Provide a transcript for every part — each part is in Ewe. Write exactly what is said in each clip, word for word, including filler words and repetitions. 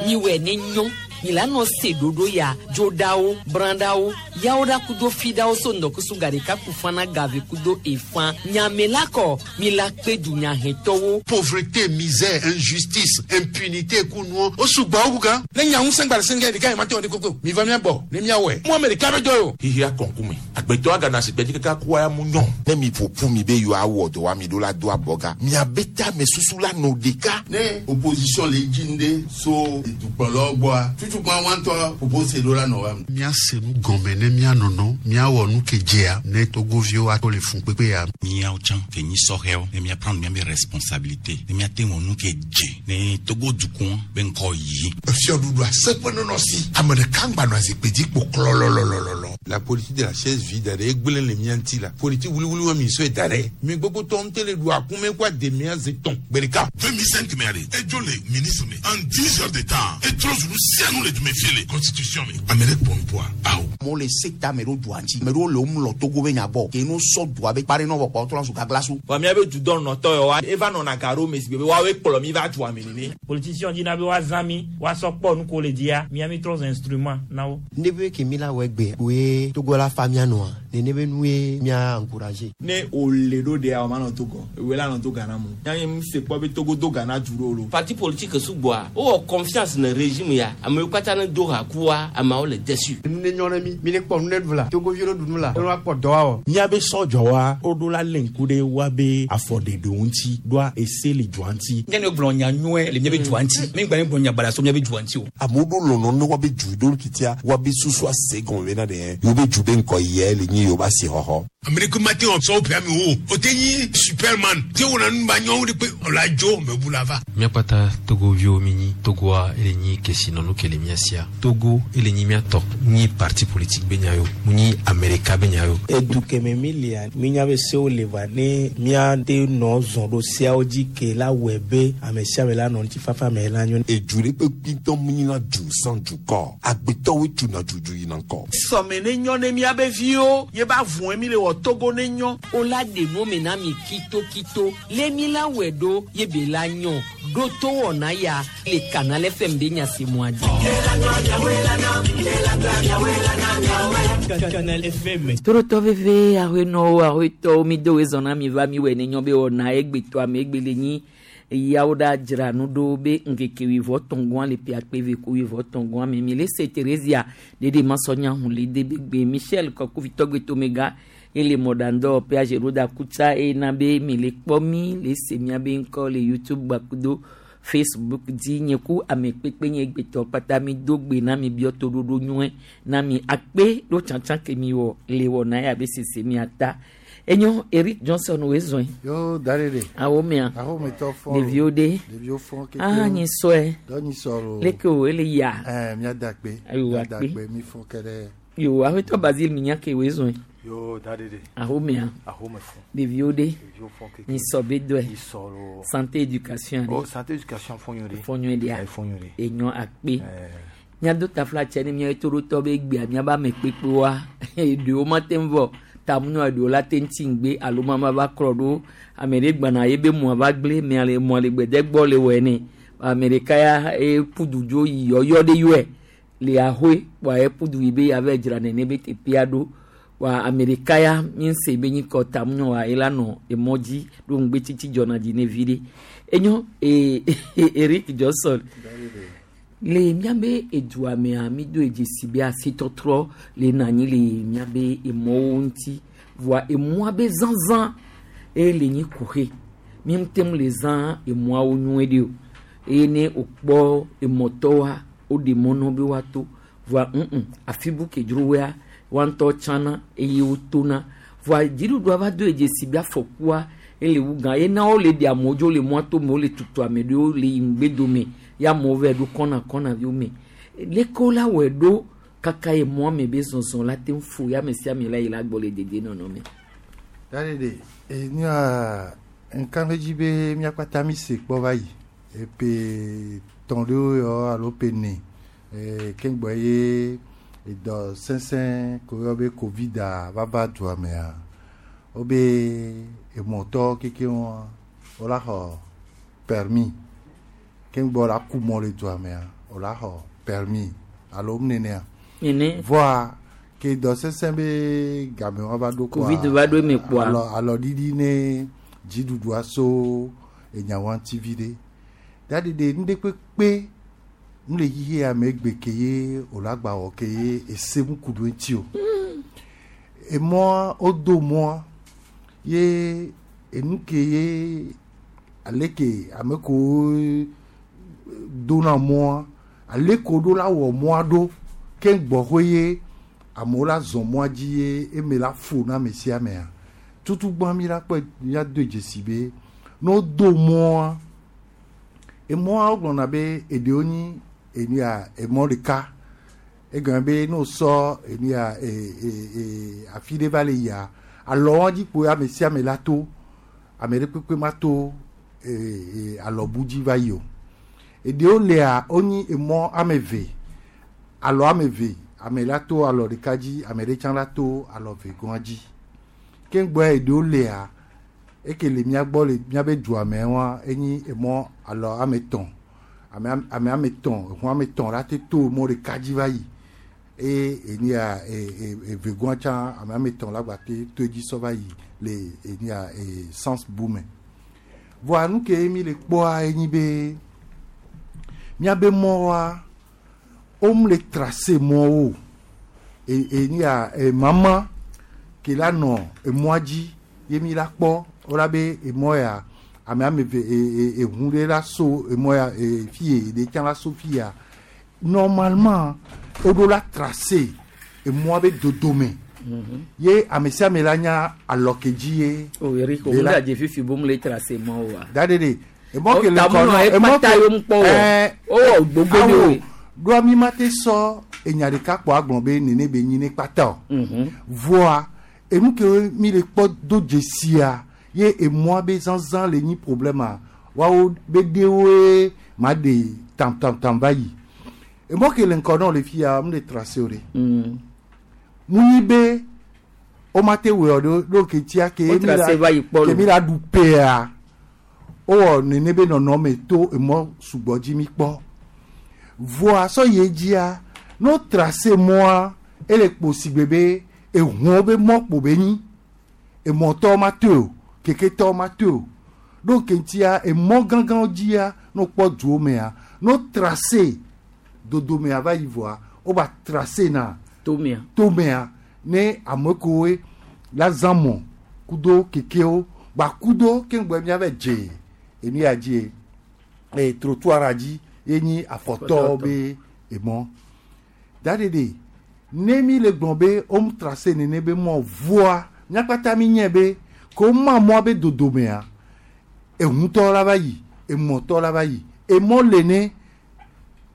Miwɛ ne nyɔ mi la nɔ se ɖoɖo ya dzoɖawo brãɖawo yawo ɖa kudo fiɖawo so ŋdɔkusu gaɖeka kufana gave kudo efã nyame la kɔ mi la kpe dunyahɛtɔwo. Pauvreté, misère, injustice, impunité kunuɔ o sugbɔ wu gan. Ne nya ŋusẽ gba le sɛngɛ ɖeka yi ma te wɔ ɖe koko mi va mía gbɔ ne míawɔe mu ame ɖeka be dɔ o. Xixia kɔnkume agbetɔ agana si gbedzi kaka kua ya mu nyɔ. Ne mi ƒo mi be yewoawɔ dɔ wa mi ɖo la do abɔga miabe tame susu la nɔ ɖeka. Ne opposition le dzi ŋɖe so dukplɔlawo gbɔa tutukpa wa ŋutɔ propose ɖo la nɔ wa. Míase nu gɔme ne míanɔnɔ míawɔ nu ke dzea ne togoviwo ato le fun kpekpe ya. Míawo tsã ke nyi sɔhɛwo ne míaprendre míabe responsabilité ne míate wɔ nu ke dze ne Togo dukɔ be ŋkɔ yi. Fiɔɖuɖu aseƒe nɔnɔ si ame ɖeka ŋgba nɔ azikpui dzi kpo klɔlɔlɔlɔlɔ. La politique de la chaise vide ɖe egblẽ le mía ŋuti la politique wuliwuli wa mi sɔe da ɖe mi gbogbo tɔ ŋutɔ le ɖu akume kó ademia ze tɔn gbe ɖeka. deux mille cinq mɛ ale edzo le ministre me en dix heures de temps etrɔ zunu sianu le dume fie le constitution me ame ɖe kpɔ ŋkua awo. Amewo le se ta ame ɖewo dua ŋuti ame ɖewo le wo mlɔ Togo be nya gbɔ ke no sɔ dua be kpa ɖe nɔ vɔ kpɔ trɔ zu gagla so. Wa míabe dudɔ nɔtɔ yɔ wa eva nɔna ga ɖo me si be woawoe kplɔ mi va dua me nene. Politicien dina be woazã mi woasɔ kpɔ nu ko le dzia mía mi trɔ zu instrument na wo. Ne be ke mi la wɔ egbe woe Togo la fa mía nɔa nene be nue mía encourager. Ne o le ɖo ɖea o ma nɔ Togo ewe la nɔ to Ghana mo yanyi mi se kpɔ be Togo do Ghana du ɖo lo. Parti politique sugbɔa wowɔ confiance ne régime ya amewo katã ne do ha kua ameawo le déçu. Nu ne nyɔ ne mi mi ne kpɔ nu ne ɖu la Togoviwo ne ɖu nu la ne woakpɔ dɔ awɔ. Míabe sɔdzɔwa woɖo la lé ŋku ɖe woabe afɔɖeɖewo ŋuti ɖoa ese le dua ŋuti. Nye ne gblɔ nya nyuie le míabe dua ŋuti mi gba ne gblɔ nya baɖa so míabe dua ŋuti o. Amewo ɖo lɔlɔ ne woabe du ɖo kitia woabe susu ase gɔme bena ɖe yewo be du be ŋkɔ yɛ le nyi yewo be asixɔxɔ. Ame ɖeke ma te wɔ sɔwo ƒe ame wo o te nyi superman te wɔna nu ba nyɔwo de kpe ɔla dzo mebu la va. Míakpata togoviwo mi nyi Togoa ele nyi kesinɔnu ke le mía sia Togo ele nyi mía tɔ nyi parti politique be nya yo mu nyi Amerika be nya yo. Edu kɛmɛ mi lia mi nya be sewo le va ne míate nɔ zɔn ɖo seawo dzi ke la wɔe be ame sia ame la nɔ ŋutifafa me la nyo. Edu ɖe kpe kpitɔ mu nyina du sans dukɔ agbetɔwoe tuna dudu yina ŋkɔ. Sɔme ne nyɔ ne míabe viwo ye ba vɔe mi le wɔ Togo ne nyɔ. O la ɖe nu me na mi kitokito le mi la wɔe ɖo ye be la nyɔ ɖo to wɔna ya le Canal F M be nyasemua dzi. Canal F M. Torotɔ veve aƒenɔwo aƒetɔwo mi do wezɔn na mi va mi wɔ ne nyɔ be wɔna egbetɔ ame egbe le nyi yawo ɖa dzra nu ɖo be ŋkeke wuievɔ tɔngɔa le ƒe akpe eve ku wuievɔ tɔngɔa me mi le se Theresia ɖeɖe masɔnya hun le de be gbe Michel Kɔkuvitɔgbe tomega ele mɔɖaŋdɔ ƒe ɖo da kutsa eye be mi le kpɔ mi le se miabe ŋkɔ le YouTube gbakudo Facebook dzi nye ku ame kpekpe nye gbetɔ kpata mi do gbe na mi biɔ toɖoɖo nyuie na mi akpe ɖo tsatsa ke mi wɔ le wɔ na ya be sese miata enyo Eric Johnson wo zɔn. Yo da ɖe. Awo mea. Awo me tɔ fɔ. Ɖeviwo ɖe. Ɖeviwo fɔ keke. Ah nyi sɔe. Dɔ nyi sɔ lo. Leke o ele ya. Ɛɛ mía da akpe. Ayiwa. Mía da akpe mi fɔ kɛ ɖe. Yo aƒetɔ Basile mi nya ke wo zɔn. Yo da ɖe. Awo mea. Awo me fɔ. Ɖeviwo ɖe. Ɖeviwo fɔ keke. Nyi sɔ be dɔe. Nyi sɔ lo. Santé éducation. Oh, santé éducation fɔ nyuie ɖe. Fɔ nyuie ɖea. Ɛɛ fɔ nyuie ɖe. Enyo akpe. Míado tafla tse ne míawo toɖotɔ be gbea míabe ame kpekpewoa eɖewo mate ŋu vɔ tamunɔ eɖewo la te ŋuti ŋgbe alo mama va klɔ ɖo ame ɖe gbana ye be mɔa va gblẽ mea le mɔa le gbede gbɔ le wɔ ene ame ɖeka ya eƒu du dzo yi yɔyɔ ɖe yɔe le ahoe kpoa eƒu du yi be yava dzra nene be teƒea ɖo wa ame ɖeka ya mi se be nyi kɔ tamunɔ wa ela nɔ emɔ dzi ɖo ŋgbe tsitsi dzɔna dzi ne vi ɖe enyo ee Eric Johnson le míabe edua mea mi do edzesi be asitɔtrɔ le na anyi le míabe emɔwo ŋuti voa emɔa be zazã eye le nyi kuxe mi ŋute ŋu le zã emɔawo nyuie ɖe o eye ne wokpɔ emɔtɔwoa woɖe mɔ na wo be woato voa ŋu afi bu ke dzro woa woa ŋutɔ tsana eye wotona voa dziɖuɖua va do edzesi be afɔkua ele wu gã eye na wole ɖe amewo dzo le mɔa to me wole tutu ame ɖewo le yi ŋgbedome ya amewo va ɖo kɔna kɔna viwo me leke wola wɔe ɖo kaka ye mɔa me be zɔzɔ la te ŋu fo ya ame sia ame la yi la gbɔ le dedienɔnɔ me. Da ɖe enua nka ɖe dzi be míakpata mi se kpɔ va yi epe tɔn ɖewo yɔ alo pe ne ee keŋgbɔ ye edɔ sesẽ ko yɔ be Covid a va va dua mea wobe emɔtɔ keke wɔn wola xɔ permis. Keŋgbɔ la ku mɔ le dua mea o la xɔ permis alo nenea. Nene. Voa ke dɔ sesẽ be game wa va ɖo koa. Covid va ɖo eme kpoa. Alɔ alɔɖiɖi ne dziɖuɖua so enyawoa ŋuti vi ɖe. Daɖiɖe nu ɖe kpekpe nu le xixi ya me egbe ke ye o la gba wɔ ke ye ese mu ku ɖo eŋuti o. Emɔa wodo mɔa ye enu ke ye ale ke ame kewo dona mɔa ale ke woɖo la wɔ mɔa ɖo ke gbɔxɔe ye amewo la zɔ mɔa dzi ye eme la fo na ame sia amea tutugbã mi la kpɔe míado dzesi be ne wodo mɔa emɔa wogblɔna be eɖewo nyi enu ya emɔ ɖeka egɔme be ne wosɔ enu ya e e e afi ɖe va le yia alɔwoa dzi kpo ame sia ame la to ame ɖe kpekpe ma to e e alɔbu dzi va yi o eɖewo lea wonyi emɔ ame eve alɔ ame eve ame la to alɔ ɖeka dzi ame ɖe tsã la to alɔ ve gɔa dzi keŋgbɔa eɖewo lea eke le mía gbɔ le míabe dua me wa enyi emɔ alɔ ame etɔ̃ ame ame ame etɔ̃ eʋu ame etɔ̃ la te to mɔ ɖeka dzi va yi eye enu ya e e eve gɔa tsã ame ame etɔ̃ la gba te to edzi sɔ va yi le enu ya e sens bu me voa nu ke mi le kpɔa enyi be míabe mɔwoa wom le tracé mɔwo e enu ya e mama ke la nɔ emɔa dzi ye mi la kpɔ wola be emɔ ya ame ame eve e e eʋu ɖe la so emɔ ya e fi ye ɖe tsã la so fi ya normalement woɖo la tracé emɔa be dodome ye ame sia ame la nya alɔ ke dzi ye. O Eric o de mu la- da dze fifi bom le tracé mɔ o wa. da de de emɔ ke le Tamu kɔ nɔ nɔ ekpata emɔ ke yom kpɔ wɔ. ɛɛ Wowɔ gbogbo awo ɖewoe. ɖoa mi ma te sɔ enya ɖeka kpɔ agblɔ be nene be nyi ne kpata o. Voa enu ke mi le kpɔ do dzesia ye emɔa be zazã le nyi problème a woawo be ɖewoe ma ɖe tam tam tam va yi emɔ ke le ŋkɔ nɔ le fia mu le tracé o ɖe. Mu nyi be woma te wɔ ɖo ɖo ke tia ke Wo mi la tracé va yi kpɔ ke lo. mi la ɖu pea wowɔ nene be nɔnɔme to emɔ sugbɔ dzi mi kpɔ voa sɔ yi dzia no tracé mɔa ele kpo si gbe be ehuwo be mɔ kpo be nyi emɔtɔwo ma toe o keketɔwo ma toe o ɖo ke ŋutia emɔ gãgãwo dzia no kpɔ duwo mea no tracé dodomea va yi voa woba tracé na tomea tomea ne ame kewoe la zã mɔ kudo kekewo gba kudo keŋgbɛ miave dze enu ya dzi e trottoir dzi ye nyi afɔtɔwo be emɔ daɖeɖe ne mi le gblɔ be wom tracé nene be mɔ voa míakpata mi nye be ke woma mɔa be dodomea ehutɔ la va yi emɔtɔ la va yi emɔ le ne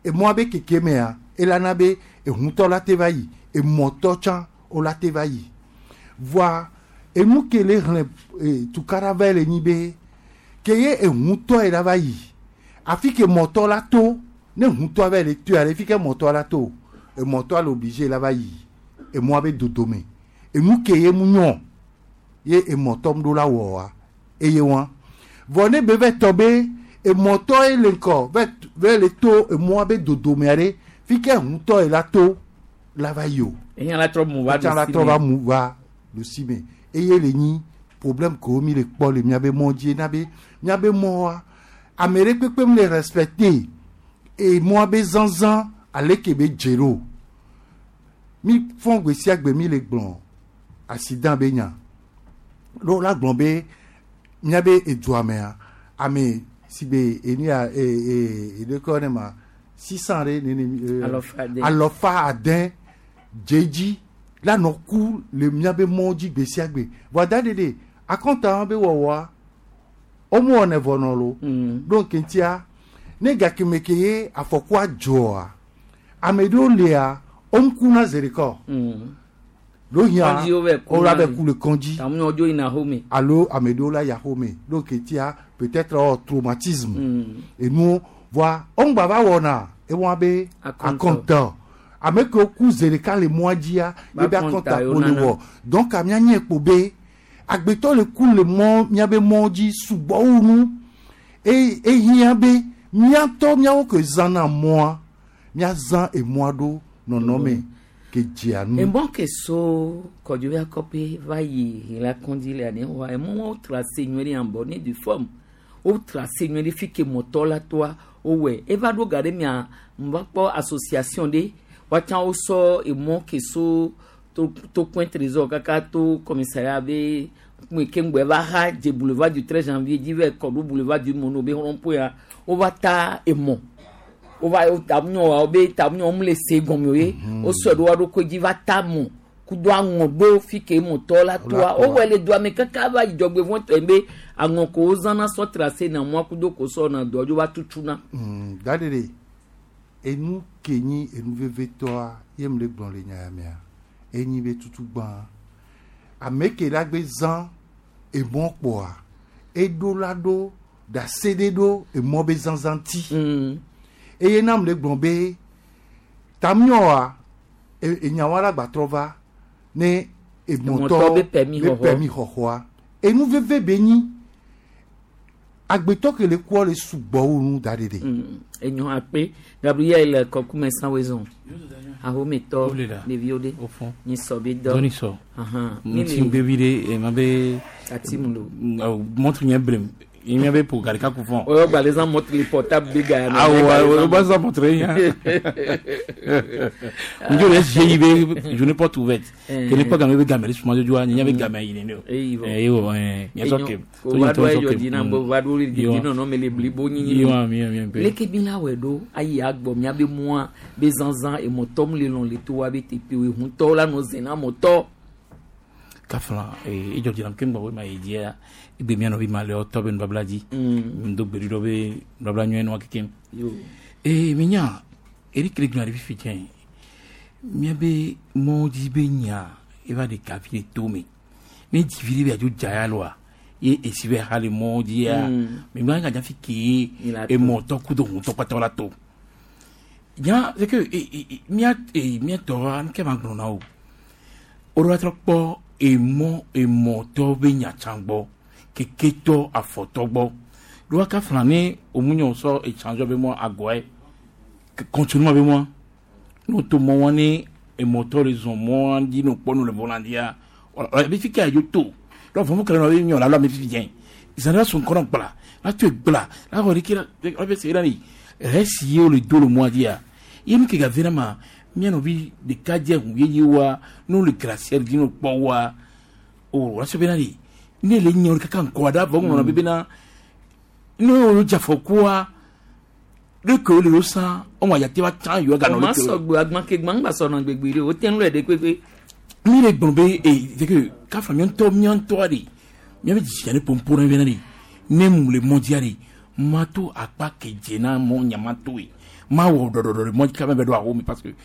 emɔa be keke mea elana be ehutɔ la te va yi emɔtɔ tsã wola te va yi voa enu ke le xlẽ e, tukara va le nyi be ke ye ehutɔ yi la va yi afi ke mɔtɔ la to ne hutɔ va le toa le fi ke mɔtɔ la to emɔtɔ le obligé la va yi emɔa be dodome enu ke ye mu nyɔ ye emɔtɔ mu ɖo la wɔa eye wa vɔ ne be vɛ tɔ be emɔtɔ ye le ŋkɔ vɛ vɛ le to emɔa be dodomea ɖe fi ke hutɔ yi la to la va yi o Eya la trɔ mu va etsa la ɖusi trɔ me. va mu va ɖusi me eye le nyi problème kewo mi le kpɔ le miabe mɔ dzi na be miabe mɔa ame ɖe kpekpe mi le respecté emɔa be zãzã ale ke be dze ɖo mi fɔn gbe sia gbe mi le gblɔ accident be nya ɖo la gblɔ be miabe edua mea ame si be enu ya e e eɖekɔ ne ma six cent ɖe nene e, Alɔfa ade. alɔfa ade dze dzi la nɔ ku le miabe mɔ dzi gbe sia gbe voa da ɖeɖe akɔnta be wɔwɔa womu wɔnɛ vɔ nɔ lo ɖo ŋkeŋtia ne gakeme ke ye afɔkua dzɔa ame ɖewo lia woŋku zi ɖeka o ɖo hiã Kɔdzi wo vɛ ku wola na vɛ li. ku le kɔdzi Tamu nyɔ dzo yina xome. alo ame ɖewo la yi axome ɖo ŋkeŋtia peut-être ɔ traumatisme enuwo voa woŋgba va wɔna ewɔna be Akɔntɔ. akɔntɔ ame kewo ku zi ɖeka le mɔa dzia Ba ye be akɔnta akɔnta yewo kpo le nana. wɔ donc míanye kpo be agbetɔ le ku le mɔ míabe mɔ dzi sugbɔ wu nu eye ehiã be Míatɔ míawo ke zãna mɔa, míazã emɔa ɖo nɔnɔme ke dzea nu. Emɔ ke so Kɔdzovi Akɔƒe va yi Hela-Kɔndzi le ane wa emɔ wo tracé nyuie ɖe en bonne et due forme. Wo tracé nyuie ɖe fi ke mɔtɔ la toa wowɔe. Eva ɖo ga ɖe mia va kpɔ association ɖe woatsã wosɔ emɔ ke so to to Point Trésor kaka to commissariat be me ke ŋgbɛ va xa dze boulevard du treize janvier dzi va kɔ ɖo boulevard du Mono be rond-point ya wova ta emɔ wova tamunyɔ wa be tamunyɔ mu le se gɔme o ye wosɔe ɖo wa ɖokui dzi va ta mɔ kudo aŋɔ ɖo fi ke mɔtɔ la toa wowɔe le doa me kaka va yi dzɔgbevɔ̃tɔe be aŋɔ ko wozãna sɔ tracé na mɔa kudo ko sɔ na doa dzo va tutuna. Mm, da ɖe ɖe enu ke nyi enu vevetɔa ye mu le gblɔ le nya ya mea enyi be tutugbã ame ke la gbe zã emɔ kpɔa eɖo la ɖo ɖase ɖe ɖo emɔ be zãzã ŋuti eye na mu le gblɔ be tamiɔa enyawa la gbatrɔ va ne emɔtɔ Emɔtɔ be permis be xɔxɔ. permis xɔxɔa enu veve be nyi agbetɔ ke le kua le sugbɔ wu nu da ɖe ɖe. Mm, enyo akpe Gabriel kɔkume sanwezon ahometɔ ɖeviwo ɖe nyisɔ be dɔ Dɔ nisɔ. Ahan. Ŋuti ŋgbe ɖe ema be. Ati mu lo. Montre nye brem. Nye be po garika ku fɔn. Oyo gba les montre le portable be ga ya. Awɔ o ba zan montre ya. Njo le S G I be journée porte ouverte. Eh. Ke ne kpɔ game be game le suma jojoa nye be game yi ne o. Eyi vɔ. Eh ewo eh nye sɔ ke. O va ɖo ayɔ dzi na bo va ɖo didi nɔnɔ me le blibo nyinyi. Yiwa mi mi pe. Leke mi la wɔ ɖo ayi agbɔ mía be mɔa be zãzã emɔtɔ mu le lɔn le to wa be teƒe o ehuntɔwo la nɔ zẽ na mɔtɔ. Kafla e edzɔ dzi nam ke ŋgbɔ wo ma yi dzia egbe mía nɔvi ma le ɔtɔ be nubabla dzi. Ŋdo gbe ɖi ɖɔ be nubabla nyuie nua kekem. Yo. Ee mi nya Eric le gblɔ ɖe fifi tsɛ míabe mɔwo dzi be nya eva ɖe gavi le to me ne dzivi ɖe be adzo dza ya loa ye esi be ha le mɔwo dzia Mm. mi gblɔ anya fi ke La to. emɔtɔ kudo ŋutɔ kpata la to nya c'est que e e e mía e mía tɔa nke ma gblɔ na o o ɖo la trɔ kpɔ emɔ emɔtɔ be nya tsã gbɔ keketɔ afɔtɔ gbɔ ɖo wa kafla ne omunyɔ sɔ échange be mɔ agɔe continuement be mɔ n'o to mɔ wa ne emɔtɔ le zɔn mɔ dzi n'o kpɔ nu le volandia ɔ ɛ fi ke adzo to donc fɔnfɔn kɛlɛ na be nyɔ la lɔ ame fifi dzɛ zan la sɔn kɔnɔ gbla la to gbla la xɔ ɖeke la la bɛ se la ni rɛsi ye wo le do le mɔa dzia ye nu ke ga ve na ma mía nɔvi ɖeka dze ŋu yeye wa n'o le glacière dzi n'o kpɔ wa o la sɔ bena de ne le nye wo kaka ŋkɔ da vɔ ŋlɔ be bena ne wo dze afɔkua ne ke wo le wo san ɔmɔ adzate va tsã yɔ ganɔ O ma le ke wo. sɔgbe agbãke gbã ŋgba sɔnɔ gbegbe ɖe o te ŋu le ɖe kpekpe. Mi le gblɔ be e c'est que kafa mía ŋutɔ mía ŋutɔa de mía be dzitsinya ne pompo na bena de ne mu le mɔ dzia de ma to akpa ke dze na mɔ nyama to ye ma wɔ ɖɔɖɔɖɔ le mɔ dzi kaba bɛ ɖo awo mi parce que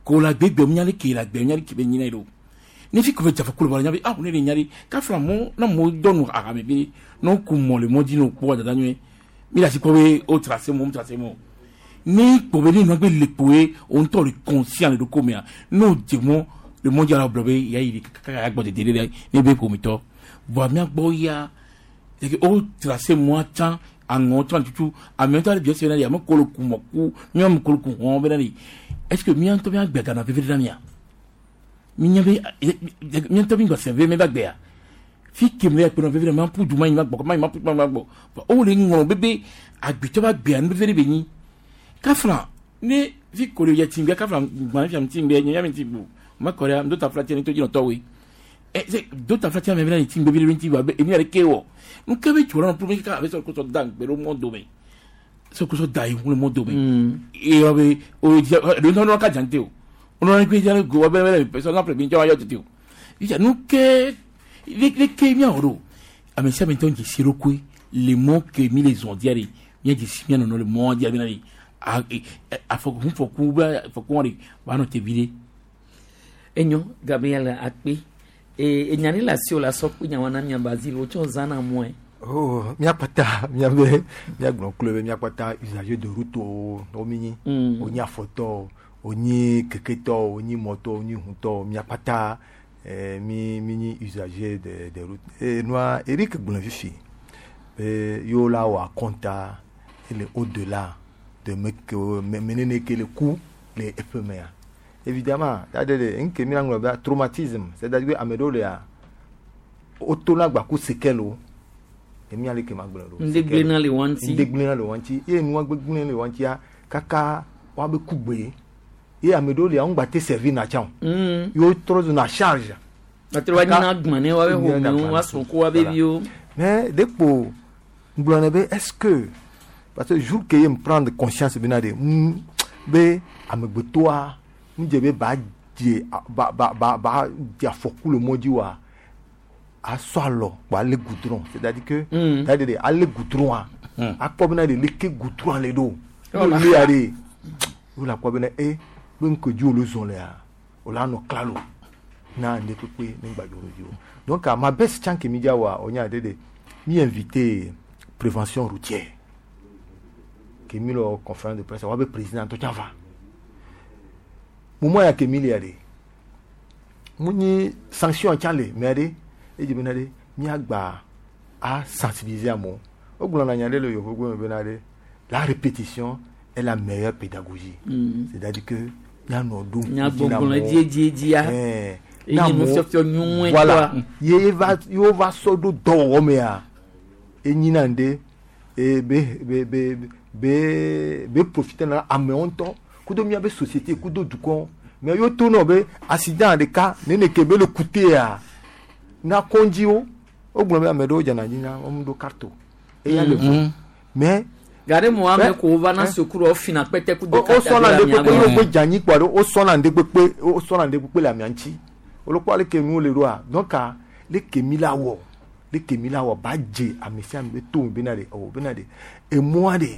ko la gbegbe mía le ke la gbe mía le ke be nyina yi ɖo ne fi ko be dzafa kolo ba nya be ah ne le nya de kafa mɔ na mɔ dɔ nu ahame be n'o ku mɔ le mɔ dzi n'o kpɔ dada nyuie mi le asi kpɔ be o tracé mɔ o tracé mɔ ne kpɔ be ne nua gbe le kpo ye o ŋutɔ le conscient le ɖoko mea n'o dze mɔ le mɔ dzi la gblɔ be ya yi kaka ya gbɔ dede ɖe ne be ƒometɔ voa mía gbɔ ya c'est que o tracé mɔa tsã aŋɔ tsã tutu ame ŋutɔ le biɔ se bena de ame ko le ku mɔ ku mía me ko le ku hɔn bena de est ce que mía ŋutɔ mía gbe gana veve ɖe na mía mi nya be mía ŋutɔ mi gbɔ sɛn ve mi ba gbea fi ke mi kpe nɔ veve ɖe ma ƒu du ma yi ma gbɔ ma yi ma ƒu du ma yi ma gbɔ o le ŋlɔ bebe agbetɔ ba gbea nu veve ɖe be nyi kafla ne fi ko le yɛ ti gbɛ kafla gbɔn fi am ti gbɛ nye ya mi ti bu ma kɔ ɖe do ta fila tiɛ ne to dzi nɔ tɔwoe ɛ se do ta fila tiɛ me bena ti gbɛ vi ɖe ti ba be enu yɛrɛ ke wɔ nu ke be tso la nɔ pour kaka abe sɔ kosɔ da ŋgbɛ ɖo mɔ dome sɔ kosɔ da yi ŋu le mɔ dome eye be o dzi ɖe ŋutɔ nɔ ka dzante o nɔ gbe dza go wa bɛ bɛ sɔ na ple mi dzɔ wa yɔ tete o yitsa nu ke le le ke miawɔ ɖo ame sia ame ŋutɔ dze si ɖokui le mɔ ke mi le zɔn dia de mía dze si mía nɔnɔ le mɔ dia bena de a afɔku ŋufɔku be afɔku wɔn de ba nɔ te vi ɖe. Enyo Gabriel akpe e enya ɖe le asi o la sɔ kpe nyawa na mia Basile o tsɔ zãna mɔe. Oh, míakpata míabe míagblɔ klo be míakpata usager de route o wo mi nyi Mm. wonyi afɔtɔ wonyi keketɔ wonyi mɔtɔ wonyi hutɔ míakpata eh, mi mi nyi usager de de route e nua Eric gblɔ fifi be yewo la wɔ akɔnta Ele au-delà de me ke me menene ke le ku le eƒe mea. Évidemment, c'est-à-dire nke mi la ŋlɔ be traumatisme, c'est-à-dire que ame ɖewo lea wotona gba ku séquelle o. Emi ale ke ma gblɔ ɖo. Ŋɖe gblẽna le woa ŋuti. Ŋɖe gblẽna le woa ŋuti. Ye nua gbegblẽ le woa ŋutia kaka woabe ku gbe. Ye ame ɖewo lia wo ŋgba te servir na tsã o. Mm. Ye wotrɔ zuna charge. Ate wa nyina agbã ne woabe ƒomewo, woasrɔ̃ ku woabe viwo. Mais ɖekpo ŋgblɔ be est-ce que parce que jour ke ye me prendre conscience bena de mm, be amegbetɔa ŋdze be ba dze ba ba ba ba dze afɔku le mɔ dzi wa asɔ alɔ kpo ale goudron c'est-à-dire que Mm. c'est-à-dire de ale goudron akpɔ bena de leke goudron le ɖo Yɔ la ne lia de wo la kpɔ bena e be ŋke dzi wòle zɔn lea wòle anɔ klalo na ŋɖe kpekpe ne ŋgba dzo ɖe dzi o donc ma best tsã ke mi dza wɔa wonya de de mi invité prévention routière ke mi le wɔ conférence de presse woabe président ŋutɔ tsã va moment ya ke mi lia de mu nyi sanction tsã le mɛ ɖe edzi bena ɖe miagba a sensibiliser amewo wogblɔna nya ɖe le yovogbe me bena ɖe la répétition est la meilleure pédagogie Mm. c'est-à-dire que mianɔ ɖo ŋku dzi na Nyagbɔgblɔ amewo. edziedzia. Ɛɛ. Eye Na amewo- nufiɔfiɔ nyuie voilà tɔa. ye va ye va sɔ ɖo dɔwɔwɔ mea enyina ŋɖe e be be be be be profiter na amewo ŋutɔ kudo miabe société kudo dukɔ mais yo to nɔ be accident ɖeka nene ke be le kutea na kɔndziwo wogblɔ be ame ɖewo dzana dzi na wɔm ɖo carte o eya le vo mais Gare mo ame Mais- ko va na Eh. sukuru wofina kpɛtɛ ku do wo sɔna ŋɖe kpekpe wo gbe dze anyi kpɔ ɖe wo sɔna ŋɖe kpekpe wo sɔna ŋɖe kpekpe le amea ŋuti wolokpɔ aleke nuwo le ɖoa donc leke mi la wɔ leke mi la wɔ ba dze ame sia ame be to me bena ɖe ɔwɔ bena ɖe emɔa ɖe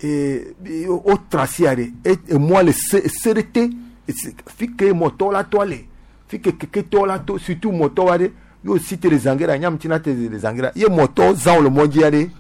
ee wo tracé ɖe e emɔa le se se ɖe te esi- fi ke mɔtɔwo la tɔ le fi ke keketɔwo la to surtout mɔtɔwoa ɖe yo si te le zangira nyam tina te le zangira ye mɔtɔwo zã wo le mɔ dzia ɖe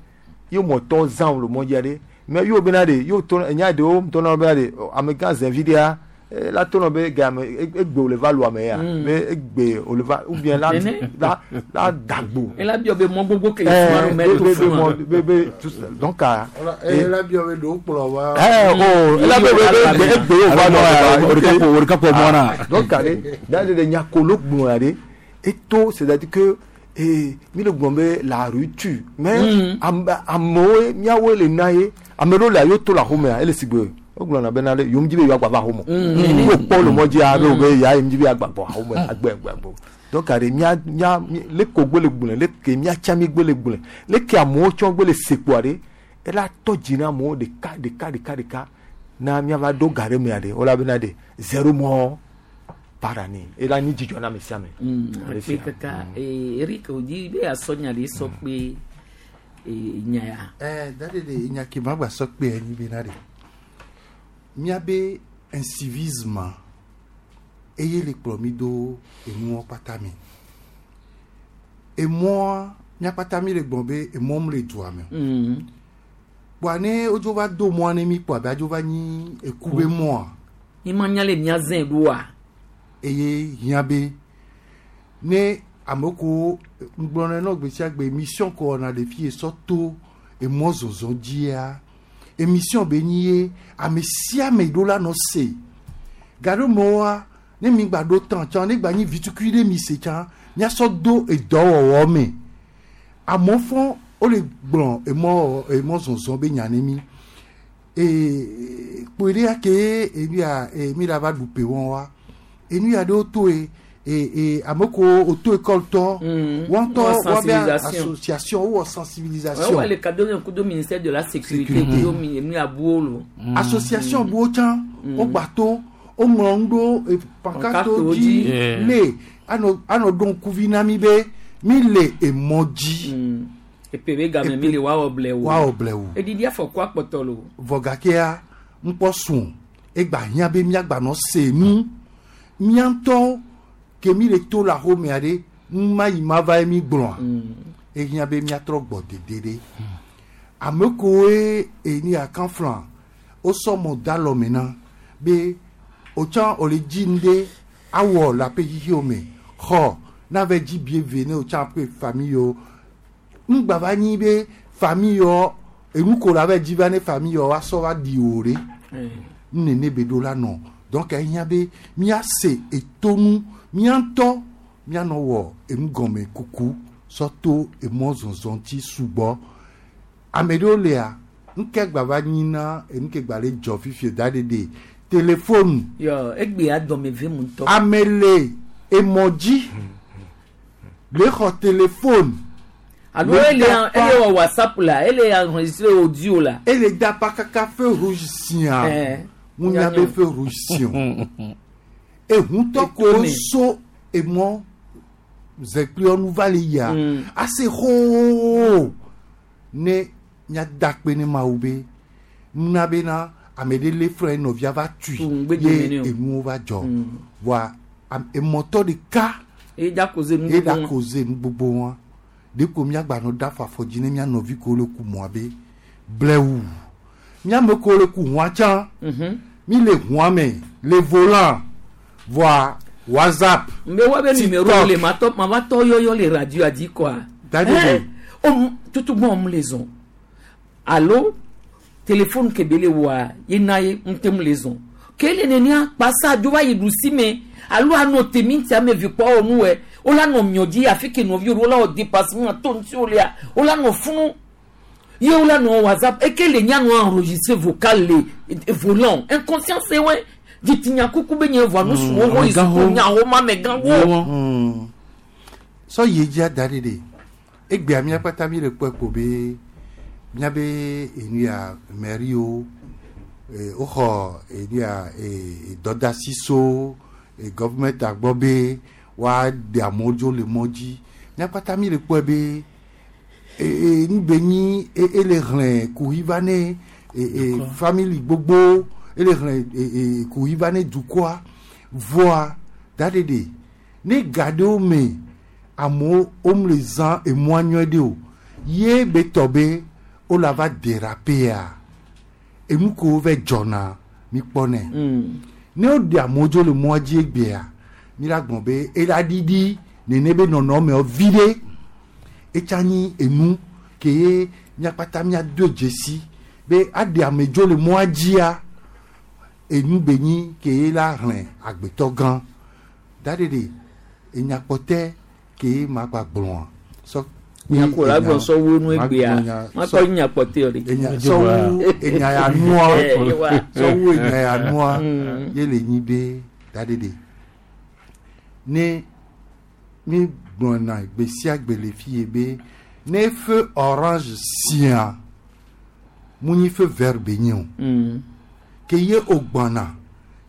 ye mɔtɔwo zã wo le mɔ dzia ɖe mais yo bena ɖe yo to enya ɖewo tɔna bena ɖe ɔ, amegã zɛvi ɖea eh, la tɔnɔ be game egbe wòle va lu ame ya Mm. be egbe wòle va ou bien la Nene. la la dagbo. Ela biɔ be mɔ gbogbo ke Eh, fuma ɖo mɛ be- to be- be fuma. mɔ- be- be- tout ça. donc ah, Eh, la biɔ be ɖewo kplɔ va. Eh, oh, ela be be be egbe wo va nɔ O de ka po- o de ka po mɔ na. donc ale dans le nyakolo gblɔ ya ɖe eto c'est à dire que eh, mi le gblɔ be la rue tue mais ame amewo miawoe le na ye ame ɖewo le yo to le axomea ele si gbe wogblɔna bena ɖe yom dzi be yewoagba va axome Mm. wo kpɔ le mɔ dzia be wo be ya yom dzi be yeagba gbɔ axome agbe agbe agbe donc are mia mia mi- le ko gbe le gblɔe le ke miatsa mi gbe le gblɔe le ke amewo tsɔ gbe le sekpoa ɖe ela tɔ dzi na amewo ɖeka ɖeka ɖeka ɖeka na miava ɖo ga ɖe mea ɖe wola bena ɖe zéro mɔ par année ela nyi dzidzɔ na ame sia ame. Ale Akpe sia. kaka ee Eric odi be asɔ nya ɖe sɔ kpe ee nya ya. Eh, dade de nya ke ma gba sɔ kpe enyi bena ɖe míabe incivisme eye le kplɔ mi do enuwo kpata me emɔa míakpata mi le gblɔ be emɔ mu le dua me o. Mm. kpoa ne wodzo va do mɔa ne mi kpoa be adzo va nyi eku be mɔa Mi ma nya le mia zẽ ɖoa. eye hiã be ne ame ko ŋgblɔnɛ nɔ gbe sia gbe émission ko wɔna le fi sɔ to emɔ zɔzɔ dzia émission be nyi ye ame sia ame ɖo la nɔ se gaɖomewoa ne mi gba ɖo tã tsã ne gba nyi vitukui ɖe mi se tsã miasɔ do edɔwɔwɔ me amewo fɔ wole gblɔ emɔ emɔ zɔzɔ be nya ne mi ee kpoe ɖe ya ke enu ya ee mi la va ɖu pe wɔn wa enu ya ɖewo to ye ee ee ame ko oto école tɔ wɔn tɔ Wowɔ wɔn bɛ sensibilisation. association wowɔ sensibilisation Wọ́n le kadó kudo ministère de la sécurité Sécurité. kudo mi enu abuwo lo. association buwo tsã wogba to woŋlɔ nu ɖo e, Pancartewo pancartewo dzi dzi. le anɔ anɔ ɖo ŋkuvi na mi be mi le emɔ dzi Epe be game mi le woawɔ blɛwu. woawɔ blɛwu Edidi afɔku akpɔtɔ lo. vɔ gakea ŋkpɔ sùn egba hiã be miagba nɔ se nu mía ŋutɔ ke mi le to le axomea ɖe numa yi ma va ye mi gblɔa ehiã be miatrɔ gbɔ dede ɖe ame kowoe eni akanflã wosɔ mɔ da alɔme na be wotsã wòle dzi nu ɖe awɔ le aƒe xixiwo me xɔ nave dzi bie ve ne wotsã ƒe famille yiwo ŋgba va nyi be famille yiwo Enu ko la va dzi va ne famille wa sɔ va di o ɖe. Nene be ɖo la nɔ. Donc ehiã be míase etonu mía ŋutɔ míanɔ wɔ enu gɔme kuku sɔ to emɔ zɔzɔ ŋuti sugbɔ. Ame ɖewo lia ŋke gba va nyina enu ke gba le dzɔ fifie da ɖeɖe téléphone. Yɔ egbea dɔme ve mu ŋutɔ. Ame le emɔ dzi le xɔ téléphone. Alo ele ele wɔ WhatsApp la, ele enregistré audio la. Ele da pa kaka feu rouge sia. Ŋunya be feu rouge si o. Ehuntɔ ko so emɔ zɛkpliɔnu va le yia. Ase xoo ne míada kpe ne Mawu be nuna bena ame ɖe lé frɛ nɔvia va tui ye enuwo va dzɔ. Voa emɔtɔ ɖeka ye da koze nu ye da koze nu gbogbo wa. Ɖeko míagbanɔ da fɔ afɔ dzi ne mía nɔvi ko le ku mɔa be blɛwu. Míame ko le ku hũa tsã. Mi le hũa me le volant voa WhatsApp. Mbe wa be numéro le ma tɔ ma va tɔ yɔyɔ le radio adi quoi. Dadi. O tutu gbɔn mu le zɔn. Alo téléphone ke be le wa ye na ye ŋute mu le zɔn. Kele nenia kpasa dzo va yi ɖusi me alo anɔ temi ŋuti ame vi kpɔ wɔ nu wɛ. Wola nɔ miɔ dzi afi ke nɔviwo wola wɔ dépassement to ŋuti wo lia wola nɔ funu ye wola nɔ WhatsApp eke le nya nɔ enregistré vocal le volant inconscience wɛ ditinya kuku be nye voa nusu wo ho yi suku nya ho ma me gã wo. Sɔ yi dzi ada ɖe ɖe egbea mía kpata mi le kpɔe ko be míabe enu ya mairie woxɔ enu ya dɔdasi so gɔvumɛnta gbɔ be wa ɖe amewo dzo le mɔ dzi míakpata mi le kpɔe be ee nugbe nyi ele xlẽ kuhi va ne ee family gbogbo ele xlẽ ee kuhi va ne dukɔa voa da ɖeɖe ne ga ɖewo me amewo wome le zã emɔa nyuie ɖe o ye be tɔ be wola va dérapea enu ko va dzɔna mi kpɔnɛ ne woɖe amewo dzo le mɔa dzi egbea mi la gbɔn be ela ɖiɖi nene be nɔnɔmewo vi ɖe etsa nyi enu ke ye míakpata míado dzesi be aɖe ame dzo le mɔa dzia enu be nyi ke ye la xlẽ agbetɔ gã da ɖeɖe enyakpɔtɛ ke ye ma gba gblɔa sɔ. Nyakɔ la gblɔ sɔ wu nu egbea ma kɔ nyakpɔtɛ o de. Sɔ wu enya ya nua sɔ wu enya ya nua ye le nyi be da ɖeɖe. Ne mi gblɔna gbe sia gbe le fi ye be ne feu orange sia mu nyi feu vert be nye o ke ye o gbɔna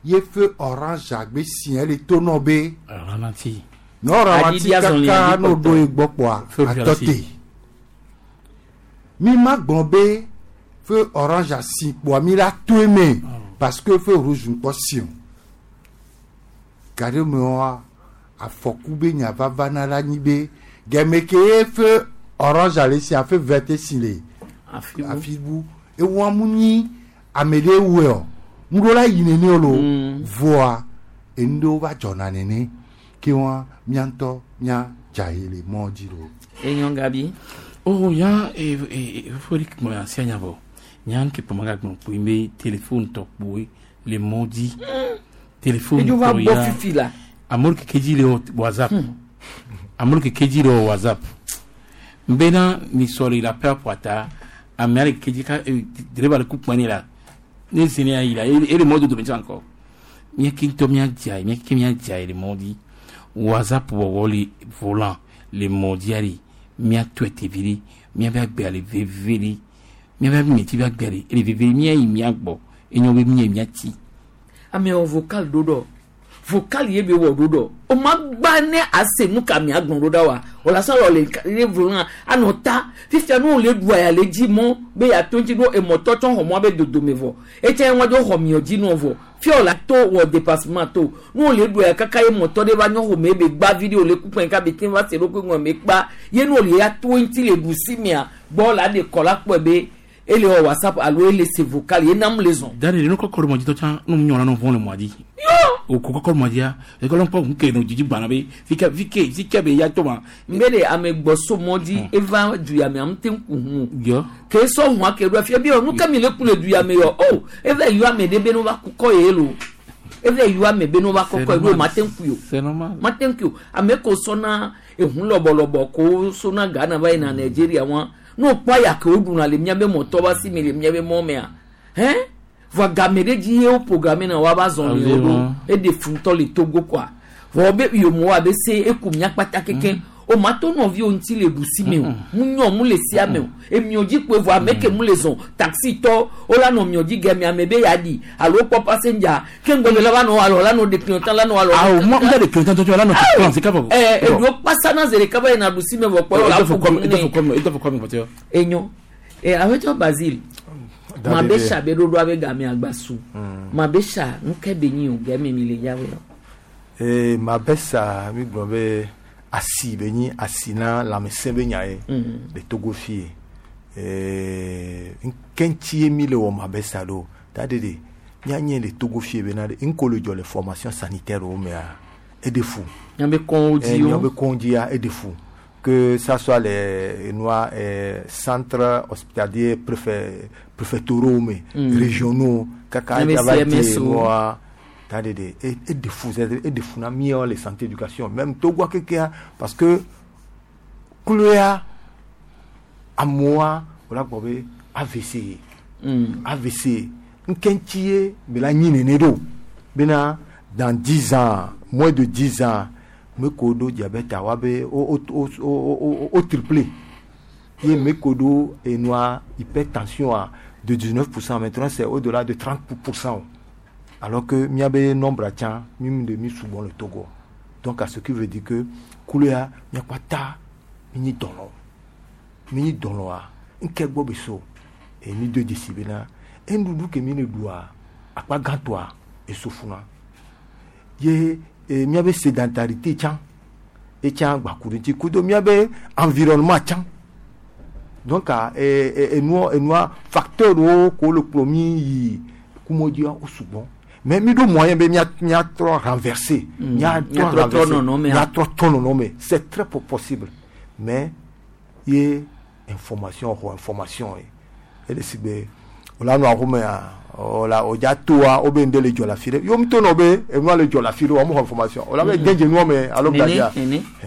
ye feu orange agbe sia le to nɔ be ralenti ne o ralenti kaka n'o do ye gbɔ kpoa atɔ te mi ma gblɔ be feu orange asi kpoa mi la to eme parce que feu rouge ŋkpɔ si o gaɖe me wa afɔku be nya vava na la nyi be gɛmɛ ke ye feu orange ale si afe vert si le afi bu ewa mu nyi ame ɖe wue o ŋuɖo la yi nene o lo voa enu ɖewo va dzɔna nene ke wa mía ŋutɔ mía dza yi le mɔ dzi lo. Enyo Gabi. Oh ya e e fori mo asia nya bo nya nke pomaga gbɔn kpoe be téléphone tɔ kpoe le mɔ dzi téléphone Edzo va tɔ bɔ ya fifi la. Amewo keke dzi le WhatsApp amewo keke dzi le WhatsApp nbena ni sɔli la pɛ ƒoata ame ale keke dzi ka dereba le ku kpɛni la ne zene ayi la ele mɔ dodo me tsã kɔ mía ke ŋutɔ mía dza yi mía ke mía dza yi le mɔ dzi WhatsApp wɔwɔ le volant le mɔ dzia le mía tɔe tevi ɖe mía be agbea le veve ɖe mía be meti be agbea le ele veve ɖe mía yi mía gbɔ enyo be mía yi mía ti. Amewo vocal ɖo ɖɔ. Vocal ye be wɔ ɖo ɖɔ o ma gba ne ase nu ka mia gblɔ ɖo ɖa wa o la sɔ le le volant anɔ ta fifia nu le ɖua ya le dzi mɔ be ya to ŋuti ɖo emɔtɔ tsɔ xɔ mɔ be dodome vɔ etse ŋua dzo xɔ miɔ dzi nɔ vɔ fia o la to wɔ dépassement to nu le ɖua ya kaka ye mɔtɔ ɖe va nyɔ xɔme be gba vi ɖe o le kukpɛ ka be te va se ɖo kpe ŋua me kpa ye nu le ya to ŋuti le ɖusi mia gbɔ la de kɔ la kpɔe be ele wɔ WhatsApp alo ele se vocal ye nam le zɔn. Da de nu kɔkɔ ɖe mɔ dzi tɔ tsã nu nyɔna nɔ vɔn le mɔa dzi. O kɔkɔ mɔ dia ekɔlɔ kpɔ ŋu ke no dzidzi gbana be fike fike fike be ya to ma. Mbe le ame gbɔsɔ mɔ dzi eva du ya me ame te ŋku hu. Yɔ. Ke sɔ hu ake ɖo afia bi yɔ nu ke mi le ku le du ya me yɔ o eva yɔ ame ɖe be no va kukɔ ye lo eva yɔ ame be no va kɔkɔ ye lo ma te ŋku yo. C'est normal. Ma te ŋku yo ame ko sɔna ehun lɔbɔlɔbɔ ko sɔna Ghana va yina Nigeria wa n'o kpɔ aya ke wo ɖuna le miabe mɔtɔ ba si mi le miabe mɔ mea hɛn vɔ game ɖe dzi ye wo programme na wa ba zɔn le wo ɖo eɖe funtɔ le Togo quoi vɔ be yomo wa be se eku mia kpata keke o ma to nɔviwo ŋuti le ɖusi me o mu nyɔ mu le sia me o emiɔ dzi kpoe vɔ ame ke mu le zɔn taxi tɔ wo la nɔ miɔ dzi gɛmɛ ame be ya ɖi alo kpɔ passenger ke ŋgɔgbe la va nɔ alɔ la nɔ ɖe clientèle la nɔ alɔ. Awo mo n de clientèle tɔ la nɔ client c'est kaba. Ɛɛ eɖo kpasa na zere kaba yina ɖusi me vɔ kpɔ la fo kɔmi e tɔ fo kɔmi e tɔ fo kɔmi pɔtɛ. Enyo ɛ awetɔ Basile ma be sa be ɖoɖo abe game agba su ma be sa nuke be nyi o gɛmɛ mi le yawe yɔ. Ee ma be sa mi gblɔ be asi be nyi asi na lãmesẽ be nya ye le Togo fie ee nke ŋuti ye mi le wɔ ma be sa ɖo ta de de míanye le Togo fie bena de ŋko le dzɔ le formation sanitaire wo mea eɖe fu. Míabe kɔnwo dzi wo. Míabe kɔnwo dzia eɖe fu. Que ça soit les noirs eh, centres hospitaliers préfet préfectoraux mais mm. régionaux kaka noir et et de fou et de fou na mieux les santé éducation même Togo keke parce que kluya amoa wala gbobe A V C mm. A V C nkentie bela nyine do bena dans dix ans moins de dix ans me kodo diabète awa be o o o o triplé ye me kodo et noir hypertension à de dix-neuf pour cent maintenant c'est au-delà de trente pour cent alors que mi abe nombre tient mi de mi souvent le Togo donc à ce qui veut dire que kuléa mi kwata mi ni dono mi ni dono a nke gbo beso et mi deux décibels et ndudu ke mi ne doit akpa gantoa et sofuna ye et mi abe sédentarité tient et tient bakuruti kudo mi abe environnement tient donc et et nous et nous facteur o ko le promis kumodia au souvent mais mi do moyen be mi a mi a trop renversé mi a trop renversé mi a trop trop non mais c'est très possible mais ye information ou information et le sigbe ola no ahome a ola oja toa obe ndele jola fire yo mto no be e no le jola fire o mo information ola be denje no me alo bladia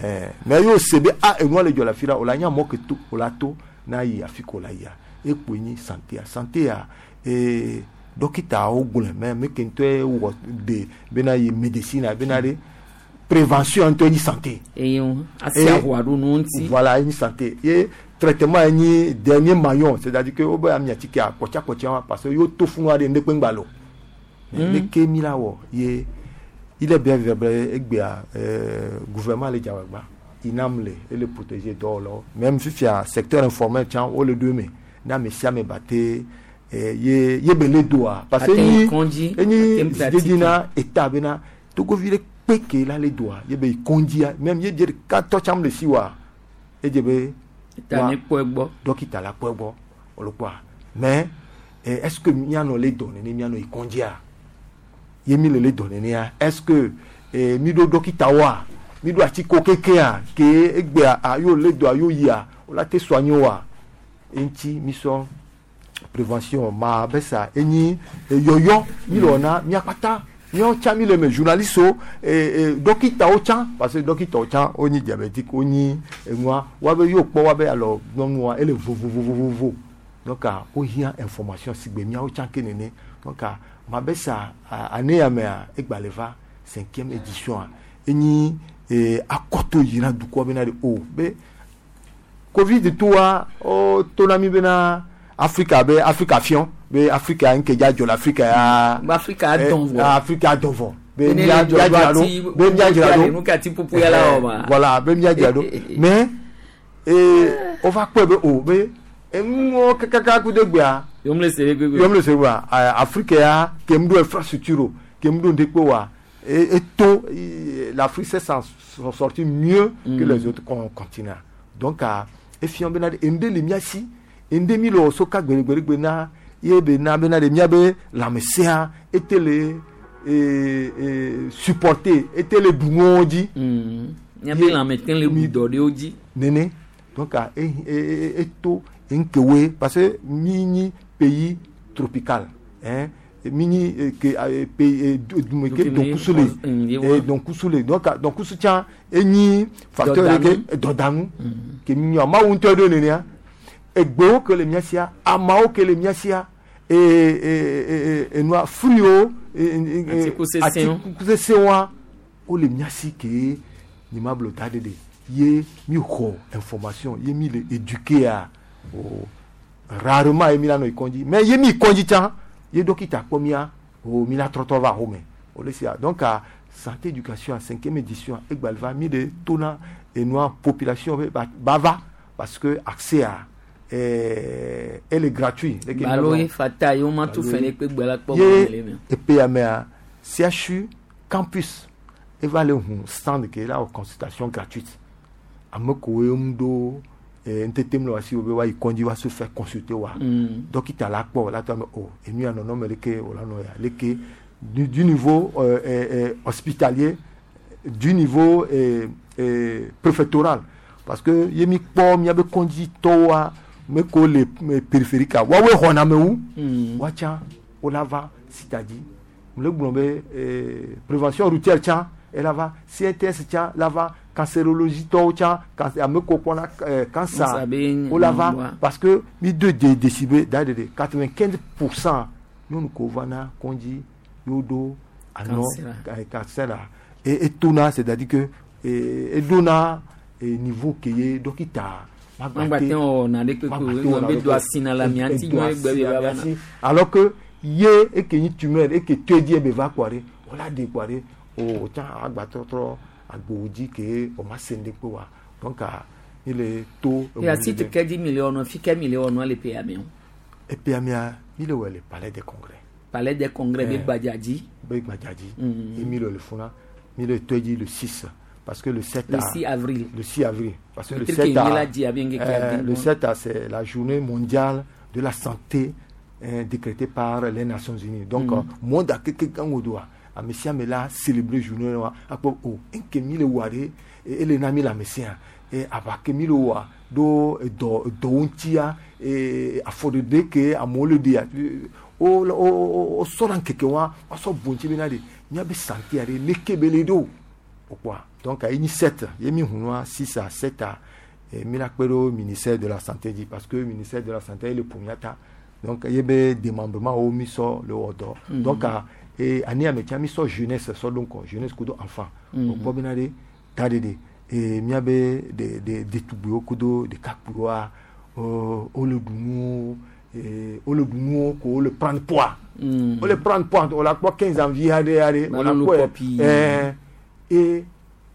eh mais yo sebe a e no le jola fire ola nya mo ke to ola to na yi afiko la ya e po ni santé a santé a e dokita o gbole mais me kento e wo de be na yi médecine be na de prévention entre ni santé eyo asi ahwa do no nti voilà ni santé et traitement ni dernier maillon c'est-à-dire que obe amiati ki akocha kocha parce que yo to fun wa de ndekpe ngbalo mais ke mi la wo ye il est bien vrai egbea euh gouvernement le jawagba inam le et le protéger dolo même fifia secteur informel tiens o le deux mais na me sia me baté ye ye bele doa parce que ni ni dina état bena Togo ville peke la le doa ye be kondia même ye dire quatre cham le siwa et je be ta ni poegbo donc il la poegbo o le quoi mais est-ce que miano le donné ni miano ikondia ye mi le le donné ni est-ce que mi do dokita wa mi do ati ko keke a ke egbe a yo le doa yo ya o la te soigner wa enti mi so prévention ma besa eni yoyo mi lo na mi akpata mi on tcha mi le me journaliste o e dokita o tcha parce que dokita o tcha o ni diabétique o ni moi wa be yo po wa be alors non moi ele vo vo vo vo vo donc a o hia information sigbe mi o tcha kenene donc a ma besa année ya me egbaleva cinquième édition eni e akoto yira du ko be na de o be covid toi o tonami be na Africa be Africa fion be Africa nkeja jol Africa ya Africa donvo Africa donvo be mi ya jalo be mi ya jalo nu ka ti pupu ya la o ma voilà be mi ya jalo mais eh on va quoi be o be emu kaka ku de gbea yom le sere gbegbe yom le sere wa Africa ya ke mdo infrastructure ke mdo ndekpo wa et tout l'Afrique s'est sortie mieux que les autres continents donc a e fion be na ende le miasi ende mi lo soka gbere gbere na ye be na be na de mia be la mesia etele eh, eh, supporter ete le ɖu nuwo dzi. Míabe lãme te le ɖu dɔ ɖewo dzi. Nene donc ah, e e e eto nkewe parce que mi nyi pays tropical hein mi nyi eh, ke ah, eh, pays eh, du- du- ke Ke mi- donkusu le Mm, ye wa. eh, donkusu le donc ah, donkusu tsã enyi facteur Dɔdanu. ɖe ke dɔdanu ke mi nyi amawo ŋutɔ ɖo nenea egbewo ke le mía sia amawo ke le mía sia e e e enua fruiwo Atikutsetsewo. atikutsetsewoa wole mía si ke nye ma blo da ɖe ɖe ye mi xɔ information ye mi le éduqué a o rarement ye mi la nɔ kɔndzi mais ye mi kɔndzi tsã ye dɔkita kpɔ mía o mi la trɔtrɔ va xɔme o le sia donc a santé éducation a cinquième édition egba le va mi le tona enua population be ba ba va parce que accès a eh, elle est gratuit. Balo ye fata ye woma tu fɛn ɖe kpe gbe la kpɔ Ye mɔ le me. E P M A C H U campus eva le hu stand ke la wɔ consultation gratuite. Ame kowoe ŋu ɖo eh, ŋutete mle wasi wo be woayi kɔndzi woa se faire consulter wa. Mm. Dɔkita la kpɔ la tɔ ame o enu ya nɔnɔme leke wòla nɔ ya leke du, du niveau euh, euh, euh, hospitalier, du niveau euh, euh, préfectoral, parce que ye mi kpɔ miabe kɔndzitɔwoa me ko le me périphérique a woawoe xɔna ame wu Mm. woatsã wola va sita dzi le gblɔ be eh, prévention routière tsã ela va C N T S tsã la va cancérologie tɔwo tsã cancer ame ko kpɔna eh, cancer Cancer be wola va nua. Parce que mi de de décibel da de de quatre-vingt-quinze pour cent nyɔnu ko vana kɔndzi yewo ɖo anɔ Cancer. eh, cancer la et etona, c'est-à-dire que eh, edona eh, niveau ke ye dɔkita Magba te wɔna ɖe kpekpe o, ŋgɔ be do asi na la mía ŋuti nyuie gbe be va va na. Alors que ye eke nyi tumeur eke to edzi be va kpɔ ɖe wòla de kpɔ ɖe o tsã agba trɔtrɔ agbowo dzi ke o ma se ŋɖe kpe wa donc ah, mi le to. Ya site ke dzi mi le wɔnɔ fi ke mi le wɔnɔ le P A me o. E P A mea mi le wɔ le palais des congrès. Palais des congrès be Eh. gbadza dzi. Be gbadza dzi. Mm. Et mi le le funa mi le to edzi le six parce que le sept Le à- six avril. Le six avril parce que le Peut-être sept qu'il y à, a dit, bien qu'il y a euh, dit, le bon. sept à, c'est la journée mondiale de la santé hein, décrétée par les Nations Unies. Donc Mm. euh, monde a keke gango doa ame sia ame la célébrer journée wa akpɔ o nke mi le wa ɖe ele na mi le ame sia e aʋa ke mi le wa ɖo edɔ edɔwo ŋutia e afɔɖeɖe ke amewo le ɖea o o o sɔna ŋkeke wa woasɔ bu ŋuti bena ɖe míabe santé ɖe leke be le ɖo o kpɔa. Donc ayi nyi sept ye mi hunua six à sept à e mi la kpe ɖo ministère de la santé dzi parce que ministère de la santé ele ƒo mía ta donc ye be démembrement wo mi sɔ le wɔ dɔ. Mhm. Donc a e ani ame tsa mi sɔ jeunesse sɔ ɖo ŋkɔ jeunesse kudo enfant Mhm. o kpɔ bena ɖe ta ɖe ɖe e míabe ɖe ɖe ɖetugbiwo kudo ɖekakpuiwoa wo wole ɖu nuwo e wole ɖu nuwo ko wole prendre poids. Mm. Wole prendre poids wòle akpɔ quinze ans vi aɖe aɖe wòle Malolo akpɔe pɔpi. ɛɛ e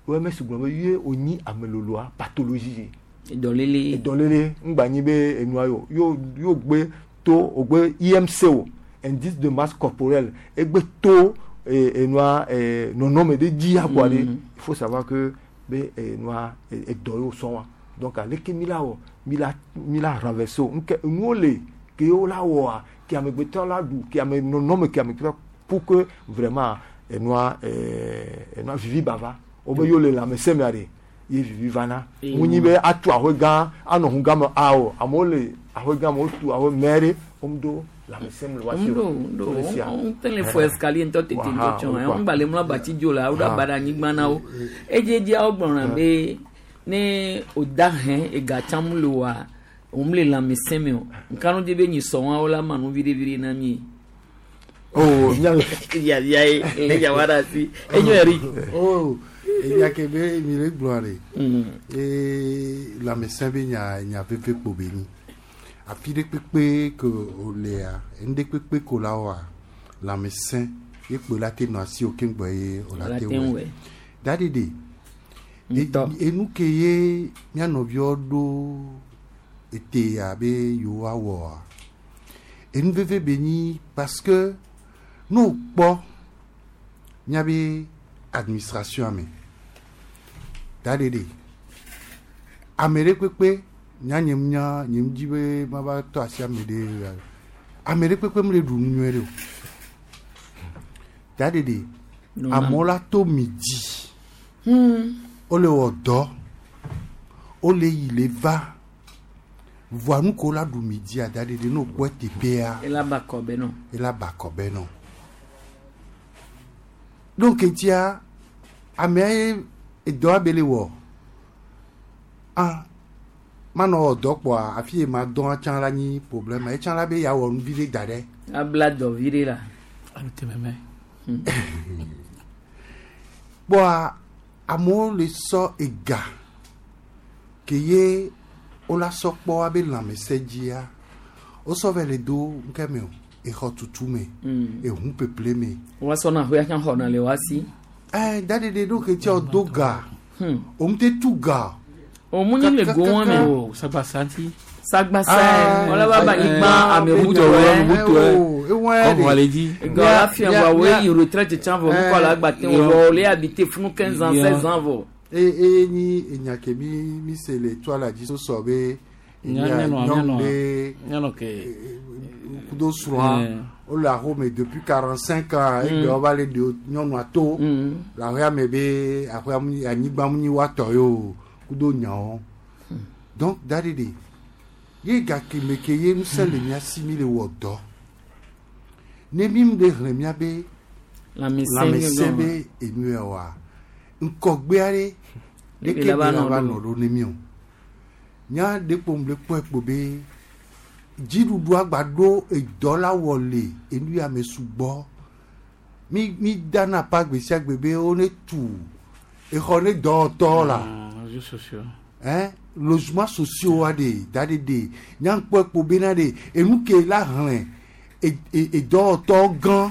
O M S gblɔ be ye wònyi ameloloa pathologie. Dɔléle. Dɔléle ŋgba nyi be enua yo yo yo gbe to o gbe I M C o indice de masse corporelle egbe to e enua e nɔnɔme ɖe dzi akɔa ɖe. Mm. Il faut savoir que be enua edɔ yewo sɔn wa donc aleke mi la wɔ mi la mi la renverser o ŋke enuwo le ke wo la wɔa ke amegbetɔ la ɖu ke ame nɔnɔme ke amegbetɔ pour que vraiment enua ɛɛ enua vivi bava wo be yewo le lãmesẽ mea ɖe ye vivi vana Eye ŋu nyi be atu aƒe gã anɔ hu gã me awo amewo le aƒe gã me wotu aƒe mɛ ɖe womu ɖo lãmesẽ me le wa si o. Ŋdo ŋdo Wo le sia. ŋte le fɔ escalier ŋutɔ tete ŋutɔ tsɔ Waha, ŋgba le mlɔ abati dzo la woɖo aba ɖe anyigba na wo edzedzia wogblɔna be ne o da hɛn ega tsã mu le oa òun le lãmesẽ me o nkanu di be nyi sɔn wa la ma nu viɖe viɖe na mi. Oh, nya yaya ye le yawa ɖe asi enyo eri. Oh, enya ke be mi le gblɔ ɖe ee lãmesẽ be nya nya veve kpo be nyi afi ɖe kpekpe ke wòlea enu ɖe kpekpe ko la wɔa lãmesẽ ye kpo la te nɔ asi o keŋgbɔ ye wòla Wòla te te ŋu wɔe wɔe. da ɖe ɖe enu ke ye mía nɔviwo ɖo ete abe yewoawɔa enu veve be nyi parce que ne wokpɔ míabe administration me da ɖe ɖe ame ɖe kpekpe nya nye nya nye dzi be mava tɔ asi ame ɖe ame ɖe kpekpe mele ɖu nu nyuie ɖe o. Daɖeɖe Nɔna. amewo la to midi Hmm. wole wɔ dɔ wole yi le va voa nu ko la ɖu midia daɖeɖe ne wokpɔ teƒea Ela ba kɔbɛ nɔ. ela ba kɔbɛ nɔ donc etia amea ye edɔ abe le wɔ ah manɔ wɔ dɔ kpɔa afi yi ma dɔn tsã la nyi problème etsã la be ya wɔ nu vi ɖe da ɖe Abla dɔ vi ɖe la. kpɔa amewo le sɔ ega ke ye wola sɔ kpɔ abe lãmesẽ dzia wosɔ vɛ le do ŋke me o exɔ tutu me Mm. ehu peple me Wa sɔna ahoe atsã xɔna le wa si. ɛ daɖeɖe ɖo ke tia do ga Hmm. òun te tu ga O mu nyi le go wɔn me. o sagbasa ŋuti. Sagbasa wala ba ba nyigba ame Butu ŋutɔ butu ewɔn kɔmɔ le dzi. Gɔ la fia wa wo yi retraite tsã vɔ nukɔ la gba te wɔ le habité funu quinze ans seize ans vɔ. e e nyi enya ke mi mi se le toa la dzi sɔ be Nya- nyanɔ- nyɔnu nyanɔ- ɖe nyanɔ ke. kudo srɔ̃a Eh. wole axome depuis quarante cinq ans egbe wova le ɖe nyɔnua to le aƒea me be aƒea mu nyi- anyigba mu nyi woatɔ ye o kudo nyawo donc daɖeɖe ye gake me ke ye ŋusẽ le mía si mi le wɔ dɔ ne mi mu ɖe xlẽ mía be Lãmesẽ lãmesẽ gɔme. be enu ya oa ŋkɔgbe aɖe Ɖeke ɖeke la va be la nɔ va ɖo. nɔ ɖo ne mi o nya ɖe kpom le kpɔe kpo be dziɖuɖua gba ɖo edɔ la wɔ le enu ya me sugbɔ mi mi dana pa gbe sia gbe be wo ne tu exɔ ne dɔwɔtɔ la réseaux sociaux. hein logement sociaux wa de da de de nyankpɔ kpo bena de enu ke la hlẽ e- e- edɔwɔtɔ gã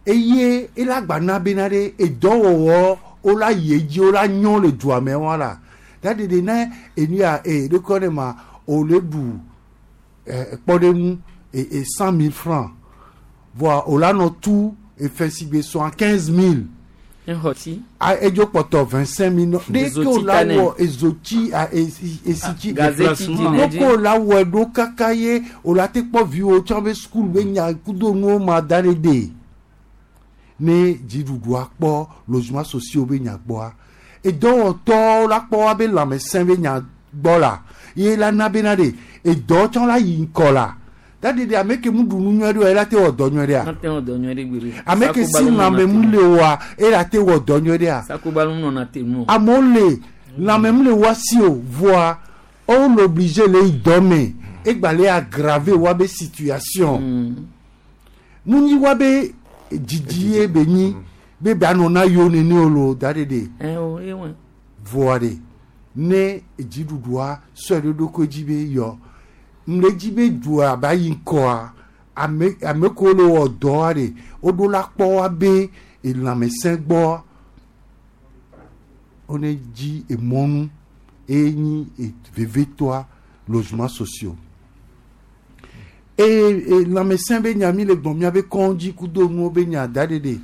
eye ela gba na bena de edɔwɔwɔ wo la yi edzi wo la nyɔ le dua me wa la da de de ne enu ya e ɖokɔ ne ma o le ɖu ɛ kpɔɖeŋu e e cent mille francs voa o la nɔ tu efe si gbe soixante quinze mille Exɔ tsi. a edzo kpɔtɔ vingt cinq mille ɖeke Ezotsi o la tanɛ. wɔ ezotsi a esi esitsi Gazeti dzi ne dzi. ɖeke o la wɔ ɖo kaka ye o la te kpɔ viwo tsɔ be sukulu be nya kudo nuwo ma da ɖe de ne dziɖuɖua kpɔ logement sociaux be nya gbɔa edɔwɔtɔwo la kpɔ wa be lãmesẽ be nya gbɔ la ye la na bena de edɔ tsɔ la yi ŋkɔ la dadi de ame ke mu ɖu nu nyuie ɖe oa ela te wɔ dɔ nyuie ɖea Mate wɔ dɔ nyuie ɖe gbe ɖe. ame ke si lãme mu le oa ela te wɔ dɔ nyuie ɖea Sakubalu nɔna te nu. amewo le lãme mu le wa si o voa wo le obligé le yi dɔ me egba le aggraver wa be situation mu nyi wa be dzidzi ye be nyi be be anɔ na yewo nene o lo da ɖe de Ɛ o ye wɛ. voa de ne dziɖuɖua sɔe ɖe ɖokui dzi be yɔ ŋle dzi be dua ba yi ŋkɔa ame ame kewo le wɔ dɔa de woɖo la kpɔ wa be elãmesẽ gbɔ wone dzi emɔnu eye nyi e- vevitɔa logement sociaux eye e, lãmesẽ be nya mi le gbɔn miabe kɔndzi kudo nuwo be nya da ɖe de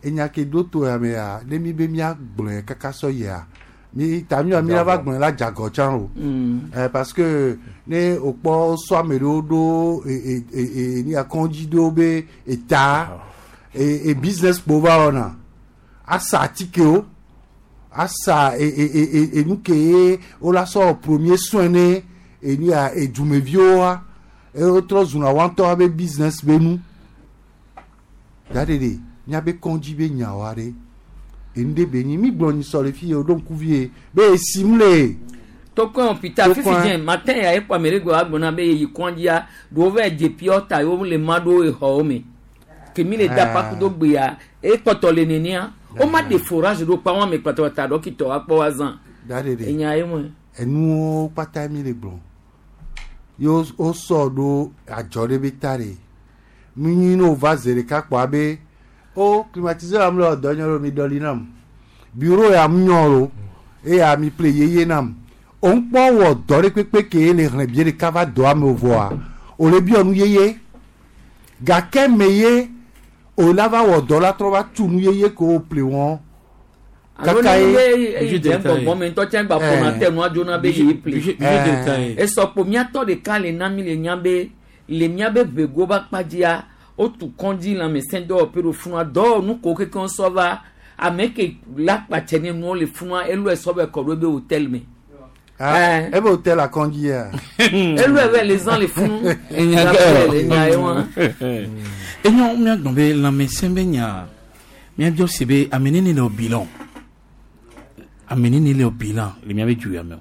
enya ke ɖo to ya mea ne mi be miagblɔe kaka sɔ yia mi ta mi mi va gblɔe la dzagɔ tsã o eh, parce que ne o kpɔ sɔ ame ɖewo ɖo e e e e ni akɔndzi ɖewo be eta e e business kpo va wɔna asa atikewo asa e e e e enu ke ye wola sɔ premier soin ne enu ya edumeviwoa eye wotrɔ zuna woa ŋutɔ be business be nu da ɖe ɖe míabe kɔndzi be nyawoa ɖe enu ɖe be nyi mi gblɔ nyi sɔ le fi ye o ɖo ŋkuvi ye be esim le Tokɔn hôpital fifi Tokɔn. dze matin ya ekɔ ame ɖe gbɔ agblɔ be yeyi kɔndzia ɖewo va dze piɔ ta yewo le ma ɖo exɔwo me kemi le da Ah. pakudo gbea ekpɔtɔ le nenia wo ma de forage ɖo kpa wɔn ame kpɔtɔ ta dɔkitɔ akpɔ wa zã da ɖe ɖe enya ye mɔ enuwo kpata mi le gblɔ ye wo wosɔ ɖo adzɔ ɖe be ta ɖe mi nyi ne wova ze ɖeka kpɔa be o climatiseur am le dɔ nyɔ ɖo mi ɖɔli nam bureau ya mu nyɔ ɖo eya mi ple yeye nam o ŋkpɔ wɔ dɔ ɖe kpekpe ke le xlẽ bie ɖeka va dɔa me o vɔa o le biɔ nu yeye gake me ye o la va wɔ dɔ la trɔ va tu nu yeye ke o ple wɔn alo ne be eyi dze gbɔgbɔ me ŋutɔ tse gba ƒona te nua dzona be yeyi ple Eh. esɔkpo miatɔ ɖeka le na mi le nya be le miabe ʋego be akpadzia Wotu kɔndzi lãmesẽ dɔwɔƒe ɖo funua dɔwɔnu ko kekeŋ sɔ va ame ke la kpatsɛ ne nuwo le funua elɔe sɔ bɛ kɔ ɖo ebe hôtel me. Ah, ebe hôtel a kɔndzi ya. Elɔe bɛ le zã le funu. Le nya ye wa. Enyo miagbɔn be lãmesẽ be nya miabiɔ se be ame nene le o bilan ame nene le o bilan le miabe du ya me o.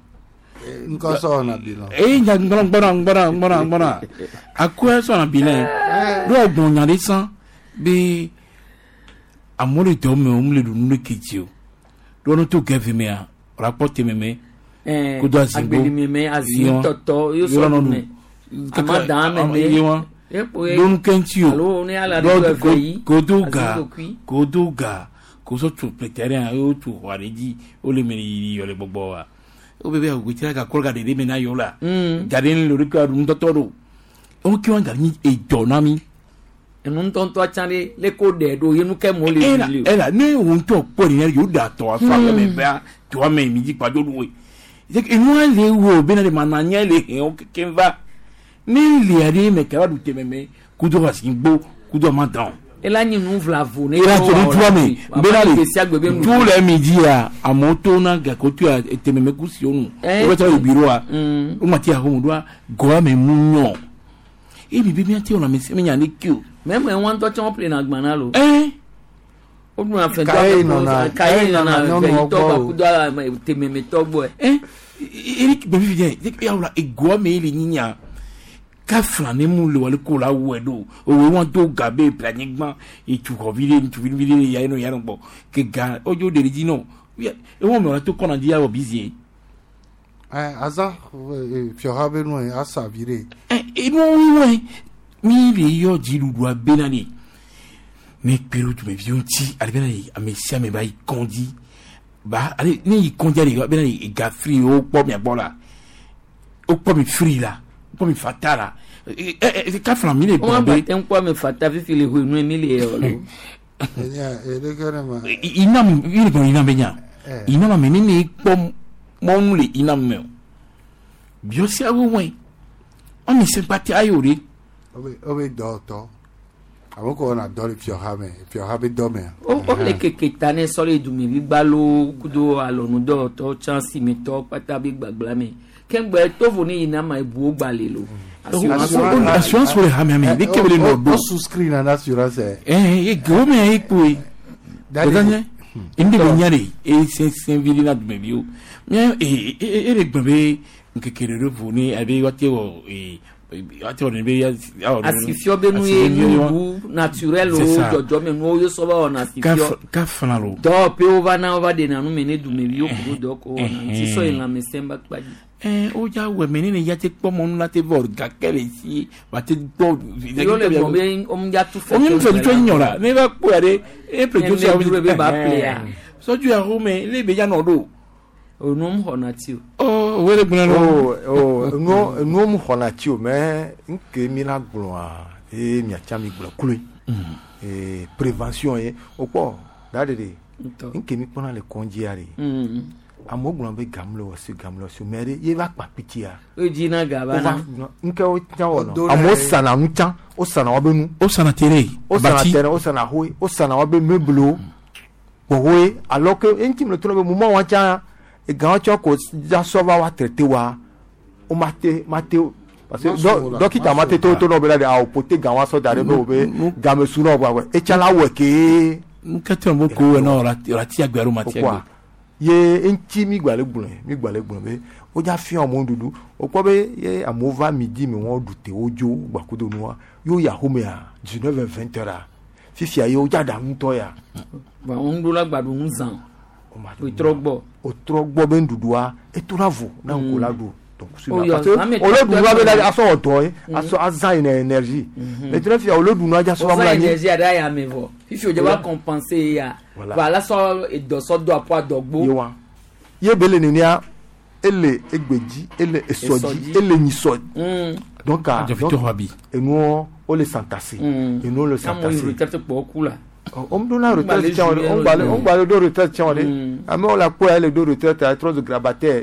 Nkɔ sɔ na bilan. Eyi nya gbɔna gbɔna gbɔna gbɔna gbɔna akɔɛ sɔna bilan ɖo ɔgbɔn nya ɖe sã be amewo le dɔ me o mu le ɖu nu ɖe kedzi o ɖo ne to gɛvi mea wòle akpɔ teme me kodo azigbo agbeli azi tɔtɔ yóò sɔ nu me ama dan me me ɖo nu kɛntsi o ɖo kodo ga kodo ga kosɔ tso pletɛrɛ yóò tso xɔ aɖe dzi wole me yi yɔ le gbɔgbɔ wa o bɛ bɛ agbetsira ka kɔrɔ ka ɖe ɖe me na yɔ la gade ne le o de kɔ nutɔtɔ do o kí wọn gari ní edɔ na mi. Enu ŋutɔŋutɔ tsã ɖe le ko ɖe ɖo ye nu ke mo le wuli o. Ela ne wo ŋutɔ kpɔ nin yɛrɛ yóò da tɔ afa kɛmɛ bɛa tɔ mɛ mi dzi kpadzo ɖo ye enua le wo bena de ma na nya le hɛn o keke va ne lia ɖe mɛ kaba du tɛmɛ mɛ kudo asi gbo kudo ma dan. Ela nyi nu vlavo ne. Ela tso nu ame bena le tu le mi dzia amewo to na gake to ya tɛmɛ mɛ kusi wo nu wo bɛ tɔ yi bureau wo ma ti ahomu doa gɔa mɛ mu nyɔ ebi bi mi ati wɔna mi se mi nya ne ki o. Mɛ mɛ wọn tɔ tsɔn ƒle na gbana lo. Ɛɛ. O dun afɛn tɔ kaye nana vɛyitɔ bakudo tɛmɛmɛtɔ gbɔ. Ɛ Eric bɛn fi jɛ yawula egoa mɛ ele nyinya ka fila ne mu le wale ko la wɛ do owo wọn do ga be bila nyigba etsukɔvi ɖe ŋutsuvi ɖe ya yen ya gbɔ ke ga odzo ɖe dzi nɔ ewɔn mɛ wòle to kɔna dzi awɔ bizie. Ɛ aza fiɔha be nu ye asa vi ɖe. Ɛ enu wíwɔn mi le yɔ dziɖuɖua bena de ne kpe ɖo dumeviwo ŋuti ale bena de ame sia ame ba yi kɔndzi ba ale ne yi kɔndzia de bena de ega firi wo kpɔ mia gbɔ la wo kpɔ mi firi la kpɔ mi fata la ɛ ɛ kafla mi le gbɔn be. Wọn bá tẹ ń kọ́ mi fata fífi le hu inú mi le yẹ ọ lọ. Inam yìí gbɔn inam bɛ nya inam ame ne ne kpɔ mɔnu le inam mɛ o biɔsi awo wɔn ɔmi se kpati ayo de. O bɛ dɔ tɔ àwọn kò na dɔ le fiɔha mɛ fiɔha bɛ dɔ mɛ. O o le keke ta ne sɔle dumevi gbalo kudo alɔnudɔtɔ tsansi mi tɔ kpata bi gbagba mɛ kɛngbɛ tovo ne yina ma ebuwo gbalẽ lo. Assurance wo le hame ame ne kebe le nɔ do. O souscrit na assurance. Ɛɛ e gewo mɛ e kpoe. Dada nye ŋdi be nya de e sɛnsɛn vi na dumeviwo mɛ e e le gbɔn be nkeke ɖe ɖe vo ne abe woate wɔ ee. Asifiɔ be nu ye nubu naturel o dzɔdzɔ me nuwo ye sɔ va wɔna asifiɔ kafana lo dɔwɔƒewo va na wova ɖena nu me ne dumeviwo kudo dɔ ko wɔna ŋuti sɔ yi lãmesẽ ba kpa dzi. Ɛɛ o dza wɔ mɛ ne ne ya te kpɔ mɔnu la te vɔ gake le si wa te gbɔ. Yɔ le gbɔn be wɔn ya tu fɛ. O mi fɛ tso nyɔ la ne va kpɔ ya de e ple tso sia. Ne be ba ple ya. Sɔdzu ya xɔ me ne be ya nɔ ɖo. O nu xɔna ti o. Ɔ o le gblẽ lɔ. O o nuwo mu xɔna ti o mɛ nke mi la gblɔa eye miatsa mi gblɔ kloe. Ee prévention ye o kpɔ da de de nke mi kpɔna le kɔndzia de. Amewo gblɔ be gamu le wɔ si gamu le wɔ si mɛ de ye va kpa pitia. O dzi na gaba na. Nke wo tsã wɔ nɔ amewo sana nu tsã o sana woabe nu. O sana tere. O sana tere o sana hoe o sana woabe meuble kpɔhoe alors que eŋuti mi le to na be moment wa tsã. Egan tsɔ ko dza sɔ va wa traité wa o ma te ma te parce que dɔkita ma te to to nɔ be la de awo pote gan wa sɔ da ɖe be o be game su nɔ wa etsa la wɔ kee. Nkete mo ko wɛ na o ti agbe alo ma ti agbe. Ye eŋuti mi gba le gblɔe mi gba le gblɔe be o dza fia amewo ɖuɖu o kpɔ be ye amewo va midi mi wɔn ɖu te wo dzo gbakudo nua yewo yi axomea dix-neuf heures vingt heures fifia ye o dza ɖa ŋutɔ ya. Wa ŋuɖola gba ɖu nu zã. O trɔ gbɔ. O trɔ gbɔ be nuɖuɖua eto la vo na ŋko la ɖu donc parce que o le ɖu nua be la asɔ wɔ dɔ ye asɔ azã yi na énergie mais tɛnɛ fia o le ɖu nua dza sɔ amla nyi. O zã énergie aɖe aya me vɔ fifi o dze va compenser ya voilà sɔ edɔsɔ do aƒu adɔgbo. Ye wa ye be le nenia ele egbedzi ele esɔdzi ele nyisɔ donc enuwo o le santase enuwo le santase. On me donne la retraite, on va le retraite, on la quoi, le dos retraite, à trois de grabataire.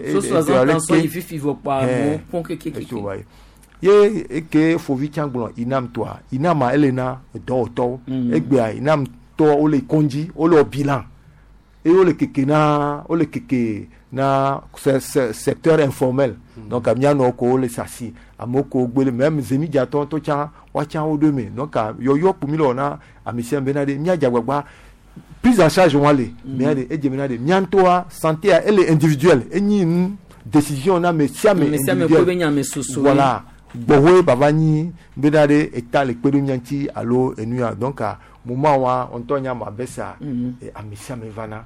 Ye eke fovi tsã gblɔ inam tɔa inama ele na dɔwɔtɔwo egbea inam tɔ wole kɔndzi wole wɔ bilan eye wole keke na wole keke na se, se, secteur informel mm. Donc mianɔ ko wole sasi amewo ko gbele même zemidzatɔ ŋutɔ tsã woatsã wo ɖo me donc yɔyɔ kpo mi le wɔ na ame sia ame bena ɖe míadze agbagba prise en charge wa le mia de edze bena de mía ŋutɔa santé ele individuel enyi nu décision na ame sia ame individuel voilà gbɔwoe bava nyi bena ɖe eta le kpe ɖe mía ŋuti alo enu ya donc moment wa ŋutɔ nya ma bɛ sa ame sia ame vana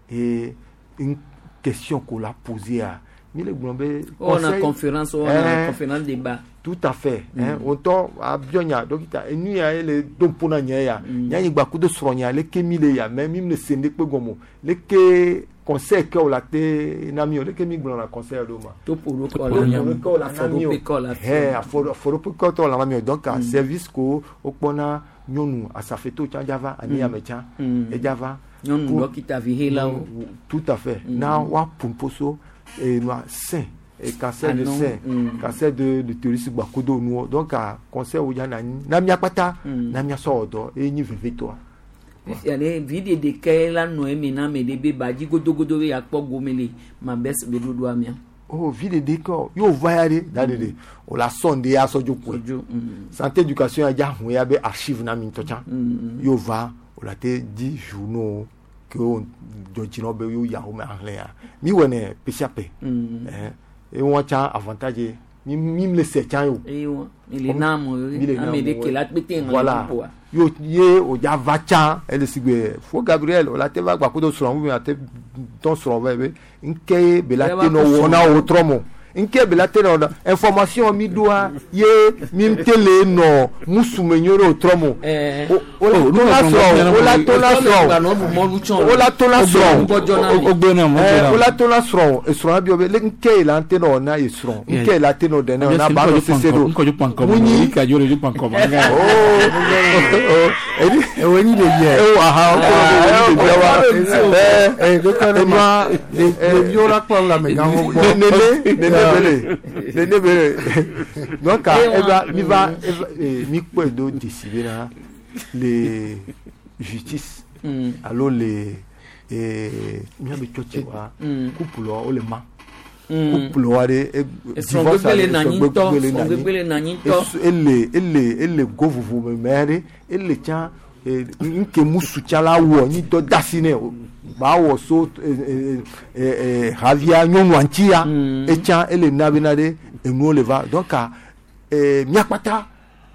et une question qu'on l'a posée à mi le gblɔ be on a conférence on a conférence débat tout à fait hein ŋutɔ abiɔ nya dɔkita enu ya ele do ƒo na nye ya nyanyigba kudo srɔ̃ nya leke mi le ya mais mi le se ne kpe gɔme leke conseil ke o la te na mi o leke mi gblɔ na conseil ɖo ma topo ɖo kɔ la na mi o hɛ afɔɖoƒe kɔ tɔ la na mi o donc service ko wokpɔna nyɔnu asafeto tsã dzava ani ame tsã edzava nyɔnu dɔkita vihelawo tout à fait na woaƒo ƒoso enua sein et cancer de sein cancer de l'utérus gbakodo nuwo donc a conseil wo dza na nyi na mia kpata na mia sɔ wɔ dɔ eye nyi vevitɔa. Fifia ɖe viɖe ɖeka la nɔ eme na ame ɖe be badzi godogodo be yakpɔ gome le mabɛs be ɖoɖoa mea. Oh viɖe ɖeka yóò va ya ɖe da ɖe ɖe o la sɔn de ya sɔdzo koe santé éducation ya dza hun ya be archive na mi ŋutɔ tsã yóò va o la te di journaux ke wo dzɔdzinɔ be yóò ya wo me ahlẽ ya mi wɔ ne pesiape ɛn ewɔn tsã avantage mi mi le se tsã yo. Ewa mi le na mo ame ɖe ke la kpete ŋlɔ voilà yo ye o dza va tsã ele si gbe fo Gabriel o la te va gba kodo srɔ̃ ou bien a te dɔn srɔ̃ vɛ be nke ye be la te nɔ wɔ na wo trɔ mo nke be la te nɔ information mi doa ye mi te le nɔ musume nyo ɖe o trɔ mo o la to la srɔ̃ o la to la srɔ̃ o la to la srɔ̃ o la to la srɔ̃ esrɔ̃ bi be le nke ye la te nɔ na ye srɔ̃ nke ye la te nɔ dɛ na ba nɔ sese do munyi ewo ni de yɛ ewo aha o ko de yɛ wa ɛɛ enua ɖeviwo la kplɔ la amegãwo gbɔ nene nene bele nene bele donc eva mi va mi kpɔe do dzesi bena le justice alo le miabe tsɔtsi wa couple wa wole ma couple wa ɖe divorce aɖe srɔ̃gbegbe le nanyi ŋutɔ ele ele ele go vovo me mɛ ɖe ele tsã nke musu tsã la wɔ nyi dɔ dasi nɛ ba wɔ so havia nyɔnua ŋuti ya etsã ele na bena ɖe enuwo le va donc miakpata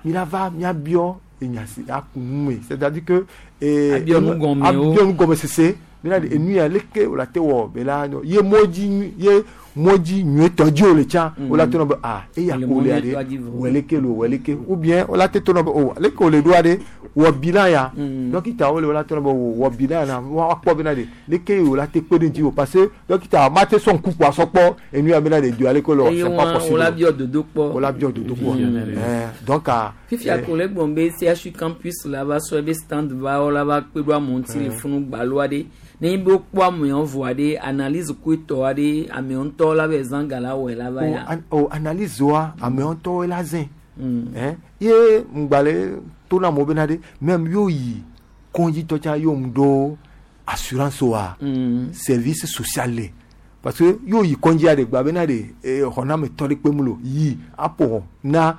mi la va miabiɔ enyasi aku nu me c'est à dire que abiɔ nu gɔme abiɔ nu gɔme sese bena de enu ya leke o la te wɔ bela ye mɔdzi ye mɔdzi nyuietɔ dzi o le tsã o la te nɔ be ah eya ko le ɖe wɔ leke lo wɔ leke ou bien o la te to nɔ be o leke o le ɖoa ɖe wɔ bilan ya dɔkita wo le o la te nɔ be o wɔ bilan ya na wa kpɔ bena de leke o la te kpe ɖe ŋuti o parce que dɔkita ma te sɔn kuku asɔ kpɔ enu ya bena de do ale ko le wɔ c'est pas possible o la biɔ dodo kpɔ o la biɔ dodo kpɔ ɛɛ donc fifia ko le gbɔn be C H U campus la va sɔ ebe stand va wo la va kpe ɖo amewo ŋuti le funu gbaloa ɖe ne be wokpɔ amewo vɔa ɖe analyse koetɔ aɖe amewo ŋutɔ la be zã ga la wɔe la va ya. O analyse wa amewo ŋutɔ la zẽ ɛn ye ŋgbalẽ to na amewo bena ɖe même yóò yi kɔndzitɔ tsã yóò ŋu ɖo assurance wa service social le parce que yóò yi kɔndzia ɖe gba bena ɖe xɔnametɔ ɖe kpem lo yi aƒo na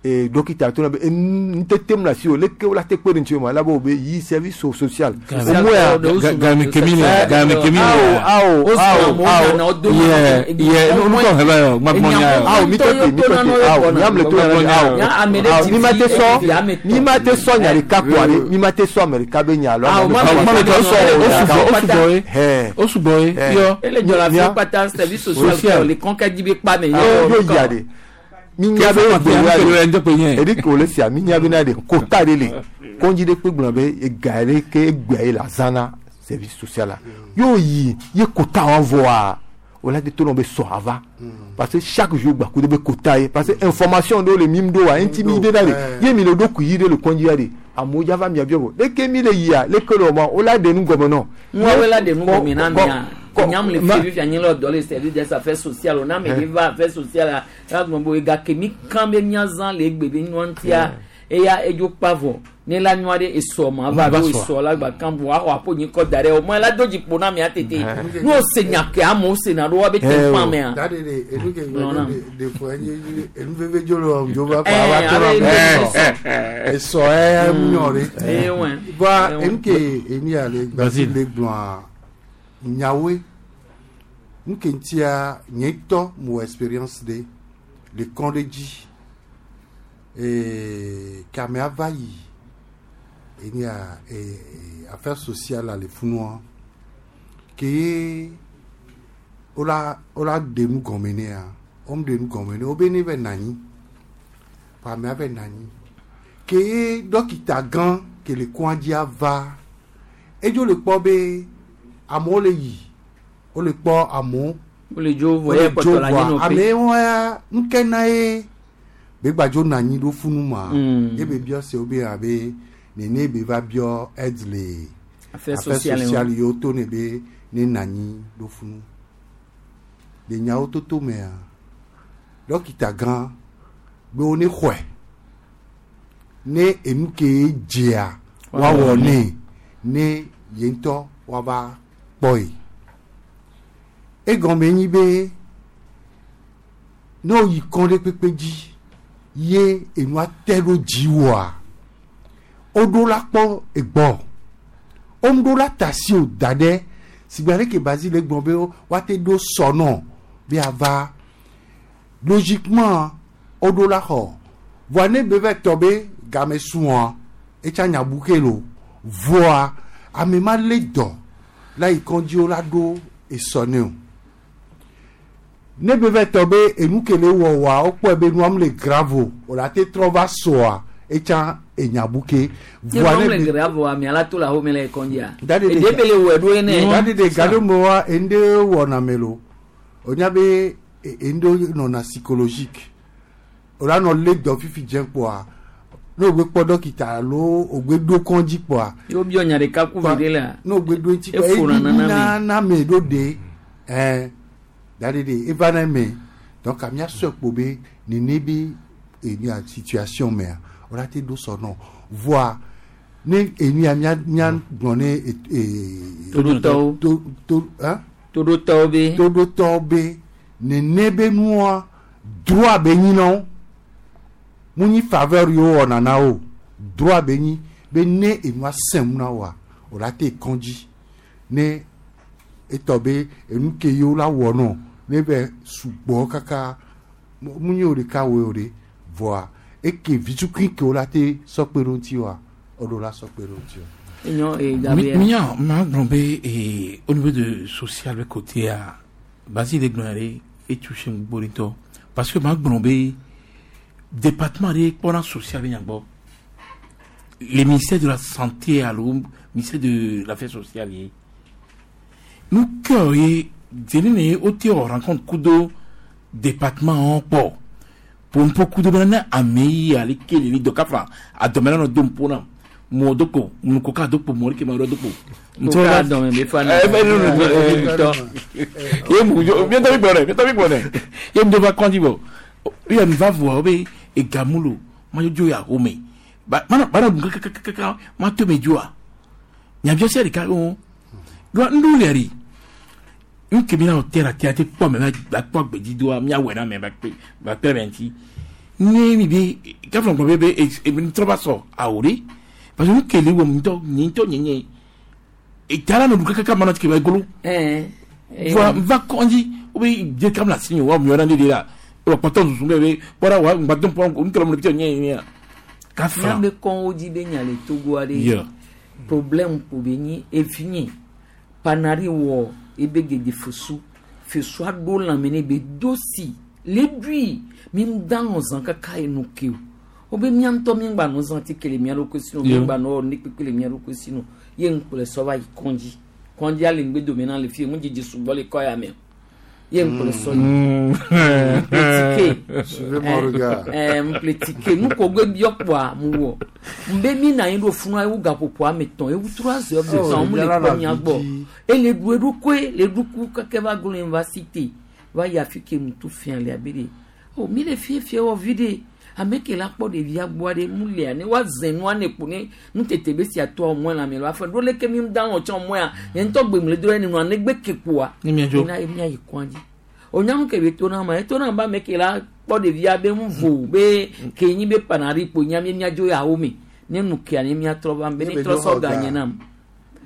dɔkita to na be ŋutete mu le asi o leke wo la te kpe ɖe ŋuti o ma la be o be yi service social. Game kemi le game kemi le awo awo awo yɛ yɛ nukɔ hɛ bɛ yɔ ŋgbàgbɔ nya yɔ. Awo mi tɔ te mi tɔ te awo mi ame le to yɛrɛ awo awo mi ma te sɔ mi ma te sɔ nya ɖeka kpɔ ale mi ma te sɔ ame ɖeka be nya alo ame ɖeka sɔ o sugbɔ o sugbɔ ye o sugbɔ ye yɔ. Ele jɔ la fi kpata service social le kɔnkɛ di be kpa me. Yóò yia de. Minya be gbe edi ko le sia minya be na de kota de le kɔndzi de kpe gblɔ be ega ɖe ke egbea ye la zã na service social la yóò yi ye kota wa vɔa o la de to nɔ be sɔ ava parce que chaque jour gbaku de be kota ye parce que information ɖewo le mi ɖo wa eŋuti mi de na de ye mi le ɖo kui yi ɖe le kɔndzi ya de amewo dza va mia biɔ bo leke mi le yia leke le wɔ ma o la de nu gɔme nɔ. Ŋua la de nu gɔme na mia. Nyam le fi fi anyi le dɔ le service des affaires sociales na me va affaires sociales la gbɔn bo ega ke mi kan be miazã le egbe be nua ŋutia eya edzo kpa vɔ ne la nua ɖe esɔ ma va ɖo esɔ la gba kan bo axɔ aƒo nyi kɔ da ɖe o mɔ la do dzi ƒo na mia tete n'o se nya ke amewo se na ɖo wa be te fa mea. Dade de enu ke gbɛ de de fɔ enye enu veve dzo le wɔm dzo va kɔ ava to na me esɔ ɛ nyɔ ɖe. Bɔn enu ke enu ya le gbasi le gblɔa nyawoe nu ke ŋutia nye ŋutɔ mo expérience ɖe le kɔn ɖe dzi ee kamea va yi enu ya ee affaire sociale le funua ke ye wola wola ɖe nu gɔme nea wɔm ɖe nu gɔme ne wo be ne va nɔ anyi vɔ amea va nɔ anyi ke ye dɔkita gã ke le kɔa dzia va edzo le kpɔ be amewo le yi wole kpɔ amewo wole dzo vɔ ye kpɔtɔ le anyi nɔƒe amewo ya ŋke na ye be gbadzo nɔ anyi ɖo funu ma ye be biɔ se wo be abe nene be va biɔ aide le affaire sociale yiwo to ne be ne nɔ anyi ɖo funu le nyawo toto mea dɔkita gã be wo ne xɔe ne enu ke dzea woawɔ nɛ ne ye ŋutɔ woava kpɔe egɔme nyi be ne woyi kɔn ɖe kpekpe dzi ye enua te ɖo dziwòa woɖo la kpɔ egbɔ woŋɖo la ta si o da ɖe sigbe ale ke Basile gblɔ be woate ɖo sɔnɔ be ava logiquement woɖo la xɔ voa ne be va tɔ be game sua etsa nya bu ke lo voa ame ma lé dɔ la yi kɔndzi wo la ɖo esɔ ne o ne be va tɔ be enu ke le wɔwɔa wokpɔe be nua mu le grave o o la te trɔ va sɔa etsa enya bu ke. Voa ne le grave o amea la to le ahome le kɔndzia. Eɖe be le wɔe ɖo ene. Dadi de gaɖo me wa ende wɔna me lo o nya be ende nɔna psychologique o la nɔ lé dɔ fifi dze kpɔa ne o gbe kpɔ dɔkita alo o gbe ɖo kɔndzi kpɔa. Yóò biɔ nya ɖeka ku vi ɖe la. Ne o gbe ɖo ŋuti kpɔa eɖi na na me ɖo de ɛɛ dadi de eva na me donc amia sɔ kpo be nene be enu ya situation mea o la te ɖo sɔ nɔ voa ne enu ya mia mia gblɔ ne ee. Toɖotɔwo. To to hein. Toɖotɔwo be. Toɖotɔwo be nene be nua droit be nyi na wo mu nyi faveur yiwo wɔna na wo droit be nyi be ne enua sẽm na woa o la te kɔndzi ne etɔ be enu ke yiwo la wɔ nɔ ne bɛ sugbɔ kaka mu nyi o ɖeka woe o ɖe voa eke vitukui ke wo la te sɔkpe ɖo ŋuti wa o ɖo la sɔkpe ɖo ŋuti wa. Enyo e Gabriel. Mia ma gblɔ be eh, au niveau de social be côté a Basile gblɔ ɖe e touché gbogbo ŋutɔ parce que ma gblɔ be département ɖe kpɔna social be nyagbɔ le ministère de la santé alo ministère de l'affaire sociale ye nu ke ye dzeni ne wote wɔ rencontre kudo département kpɔ pompo kudo bena ne ame yi ale ke le li dɔ kafa adɔmɛ la nɔ do ŋpo na mɔ do ko nuko ka do kpo mɔ ke ma do kpo. Ko ka dɔmɛ be fa na. Ye mu jo miɛntɔ mi gbɔ dɛ miɛntɔ mi gbɔ dɛ ye mu do va kɔnji bɔ ye mi va voa be egamu lo ma dzo ya home ba mana bana dun kakakaka ma to me dzoa nyabiɔ sia ɖeka wo ɖoa ŋɖo le ri nke mi na wɔ tɛra tɛra te kpɔ mɛ ba kpɔ gbedzi doa miawɔe na mɛ ba kpe ba kpe mɛ ŋuti ne mi be kafla gbɔ be be e mi trɔ va sɔ awo ɖe parce que nu kele wɔ ŋutɔ nye ŋutɔ nye nye eta la nɔ du kakaka ma nɔ tike ba golo voa va kɔndzi wo be dze kam le asi nye wa miɔ na ne de la wɔ kpɔtɔ susu be be kpɔɖa wa ŋgbadɔ kpɔ ŋutɔ le mo nye nye kafla. Míabe kɔnwo dzi be nya le Togo aɖe. Yeah. Problème ko be nyi evi nye panari wɔ ebe gede fesu fesua ɖo lãme ne be do si le ɖui mi da nɔ zã kaka enu ke o wobe mía ŋutɔ mi gba nɔ zã tike le mía ɖokui si no mi Yeah. gba nɔ wɔ ne kpekpe le mía ɖokui si no ye ŋkplɔe sɔ va yi kɔndzi kɔndzia le ŋgbe dome na le fie ŋudzidzi sugbɔ le kɔ ya me Ye ŋkplɔ sɔ yi. Mpletike. Suivez mon regard. Ɛɛ mpletike nu ko gbe biɔ kpoa mu wɔ. Nbe mi na anyi ɖo funu ewu gaƒoƒo ame etɔ̃ ewu trois heures de temps mu le kpɔ mia gbɔ. Ele ɖu eɖokoe le ɖuku keke va glo université va yi afi ke ŋutu fia le abe ɖe. O mi le fiefie wɔ vi ɖe. Ame ke la kpɔ ɖevia gbɔa ɖe mu lia ne woaze nua ne kpo ne nutete be sia toa mɔe la me la afɔ ɖo leke mi da wɔ tsã mɔea nye ŋutɔ gbe mu le do ɖe nua ne gbe ke kpoa. Ne mia dzo. Ena ye mia yi kɔa dzi. O nyamu ke be to na ma eto na ba ame ke la kpɔ ɖevia be ŋu vo be ke nyi be panari kpo nya mi mia dzo yawo me ne nu kea ne mia trɔ va be ne trɔ sɔ ga nye nam.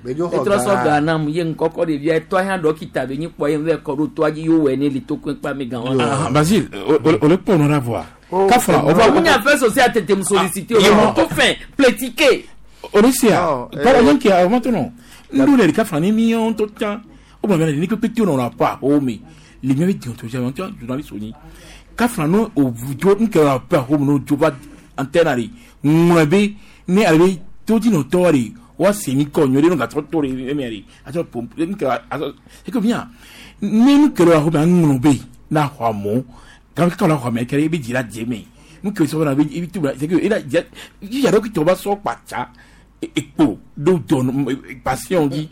Etrɔ sɔ ga nam ye ŋkɔkɔ ɖevia etɔ hã dɔkita be nyi kpɔ ye ŋu kɔ ɖo toa dzi yo wɔ ne li to kpe ame gã wa. Ah, Basile, o le kpɔ nɔ la voa. Kafra, o va. Mun y'a fait social tete mu solliciter o tout fait plétiqué. O le sia. Par exemple, qui a maintenant. Nous les kafra ni millions tout temps. O ba ni que petit on n'a pas o mais les miens déontologie en tant journaliste oni. Kafra no o jo n kɛra pa o no jo ba antenne ari. Ŋlɔ ne ale to di no tɔri wa seni kɔ nyɔri no ka tɔ tɔri emi ari. Atsɔ pom n kɛra atsɔ c'est que bien. Ne nu kɛra o ba ŋlɔ be na xɔ mɔ. Quand quand la xɔ mɛ kɛra i bɛ jira jɛ mɛ. Nu kɛ sɔgɔma na i bɛ tu c'est que ila jɛ yàrá kí tɔba sɔ kpatsa ekpo do dɔn patient di.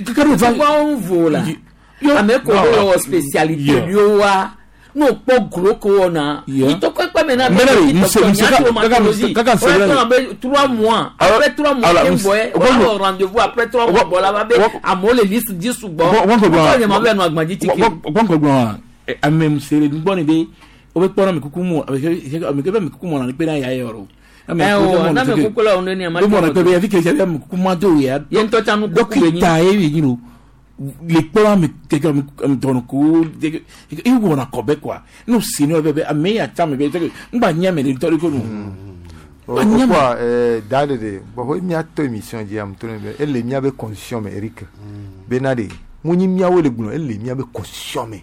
Pourquoi on vaut là? Ame ko wɔ spécialité yo wa n'o kpɔ gros ko wɔ na. Itɔkɔ kpɛ mɛ na bɛ itɔkɔ nya kaka se trois mois après trois mois ke bɔ yɛ o b'a wɔ rendez-vous après trois mois bɔ la ba bɛ amewo le liste di sugbɔ. Kɔ nyɛ ma bɛ nu agbadzi tike. Gbɔnkɔ gbɔn ame musere nugbɔ ni be o bɛ kpɔnɔ mi kuku mu ame ke bɛ mi kuku mu na ni kpe na ya yɔrɔ. Ɛ o n'a mɛ kuku la o ne ni a ma. O mɔnɔ kpe bɛ fi kele sɛ mi kuku ma do ya. Ye ŋutɔ tsa nu kuku be nyi. Dɔkita ye yi no le kpɔnɔ mi keke mi dɔnɔ ko e wɔna kɔbɛ quoi n'o sen bɛ bɛ ame ya ca mi bɛ n ba ɲɛ mɛ de tɔri ko nu. O quoi da de de bon o mi a to émission di am to ne bɛ ele mi a bɛ constitution mɛ Eric bena de mun ni miawo le gblɔ ele mi a bɛ constitution mɛ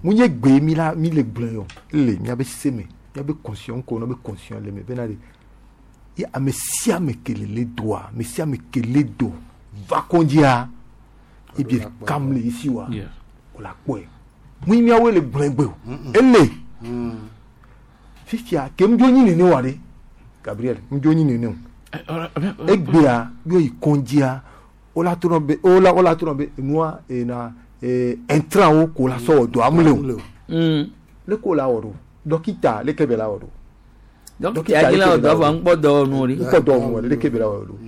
mun ye gbe mi la mi le gblɔ yɔ ele mi a bɛ se mɛ mi a bɛ constitution ko n'o bɛ constitution le mɛ bena de ye ame sia ame kele le doa ame sia ame kele do va kɔndzia ebi kam le isi wa o la kpɔe mun miawo le gblɔ gbe o ele fifia ke ŋdzo nyi nene wa de Gabriel ŋdzo nyi nene o egbea yɔ yi kɔndzia wola to nɔ be wola wola to nɔ be nua ena ee intrant wo ko la sɔ wɔ do amule o le ko la wɔ do dɔkita le ke bɛ la wɔ do. Dɔkita yi la wɔ do avɔ ŋkpɔ dɔ nu ri. Ŋkpɔ dɔ nu le ke bɛ la wɔ do.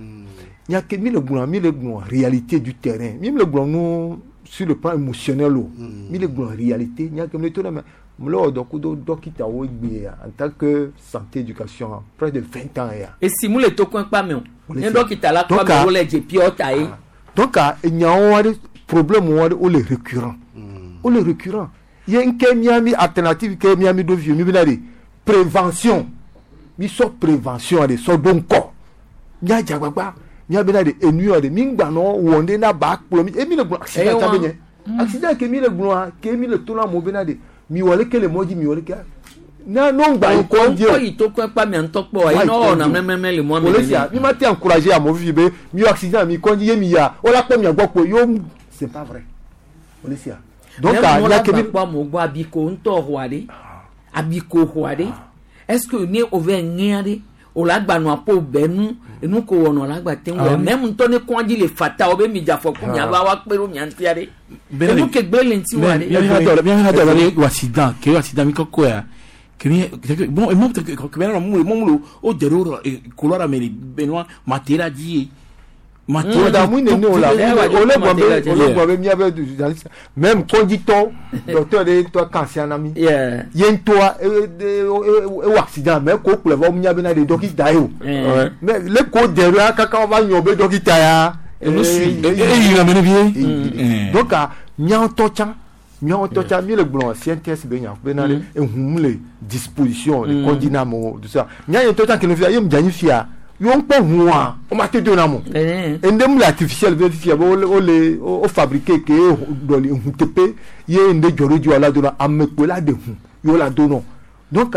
Nyake mi le gblɔ mi le gblɔ réalité du terrain mi le gblɔ nu sur le plan émotionnel o mi le gblɔ réalité nyake mi le to na mɛ mi le wɔ dɔ kudo dɔkita wo gbe ya en tant que santé éducation près de vingt ans ya. Esi mu le to kɔn kpa mɛ o ne dɔkita la kpa mɛ o le dze piɔ ta ye. Donc nyawo wa de problème wa de o le récurrent o le récurrent ye nke miami alternative ke miami do fi mi bena de prévention mi sɔ prévention de sɔ do ŋkɔ mia dzagbagba mia bena de enu de mi gbanɔ wɔ ne na ba kplɔ mi emi le gblɔ accident ta be nye accident ke mi le gblɔa ke mi le to na mo bena de mi wɔ leke le mɔ dzi mi wɔ leke na no ŋgba yi kɔ di o. Ŋkɔ yi to kɔ kpa mia ŋutɔ kpɔ ayi n'o na mɛmɛmɛ le mɔ mɛ. O le sia mi ma te encourager amewo fifi be mi yɔ accident mi kɔ ye mi ya o la kpɔ mia gbɔ kpo yo c'est pas vrai o le sia. Donc a nya ke mi kpɔ amewo gbɔ abiko ŋutɔ xɔa ɖe abiko xɔa ɖe est-ce que ne o vɛ ŋea ɖe o la gba nua po bɛ nu enu ko wɔnɔ la gba te ŋu mɛ ŋutɔ ne kɔndzi le fata o be mi dza fɔ ko mia va wa kpe ɖo mia ŋutia ɖe enu ke gbe le ŋuti wa ɖe. Miaƒe hadɔ ɖe wɔ accident ke wɔ accident mi kɔkɔ ya ke bon emɔ ke bɛ nɔ mu mɔ mu o de ɖo kolɔ la mɛ le benua matera dzi ye. Matera mu nene o la o le gbɔ be o le gbɔ be miabe même kɔndzitɔ docteur de ŋutɔ kan sia na mi ye ŋutɔa ewɔ accident mais ko kplɔ va miabe na de dɔkita ye o mais le ko de ɖo kaka va nyɔ be dɔkita ya. Eyi na mene vie. Donc mia ŋutɔ tsã mia ŋutɔ tsã mi le gblɔ C N T S be nya be na de ehun le disposition le kɔndzi na amewo tout ça mia ŋutɔ tsã kele fia ye mu dze anyi fia. Yo ŋkpɔ hua o ma te do na mo ende mu le artificiel be fifia be o le o fabriqué ke dɔli hu tepe ye ende dzɔ ɖo dzi wa la do na ame kpoe la de hu ye la do nɔ donc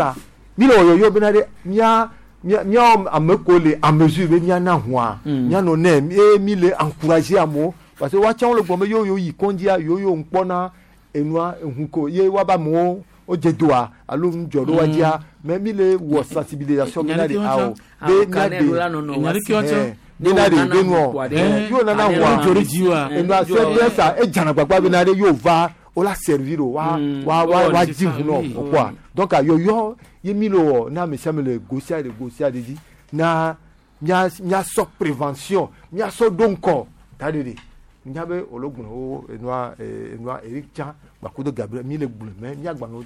mi le wɔyɔyɔ bena ɖe mia mia mia ame ko le à mesure be mia na hua mia nɔ nɛ ye mi le encourager amewo parce que woatsã wo le gbɔ be yo yo yi kɔndzia yo yo ŋkpɔna Enua ehun ko ye wa ba mo o dze doa alo nudzɔ ɖo wa dzia mais mi le wɔ sensibilisation mi na de awo be mia de bena de be nuɔ yóò nana wa enua sɛ sa edzana gbagba bena de yóò va o la servir o wa wa wa wa dzi ŋu nɔ o quoi donc yɔyɔ ye mi le wɔ na ame sia ame le go sia de go sia de dzi na mia mia sɔ prévention mia sɔ do ŋkɔ ta de de nya be olo gblɔ wo enua enua Eric Tsan gbakudo Gabriel mi le gblɔ mɛ mia gbanɔ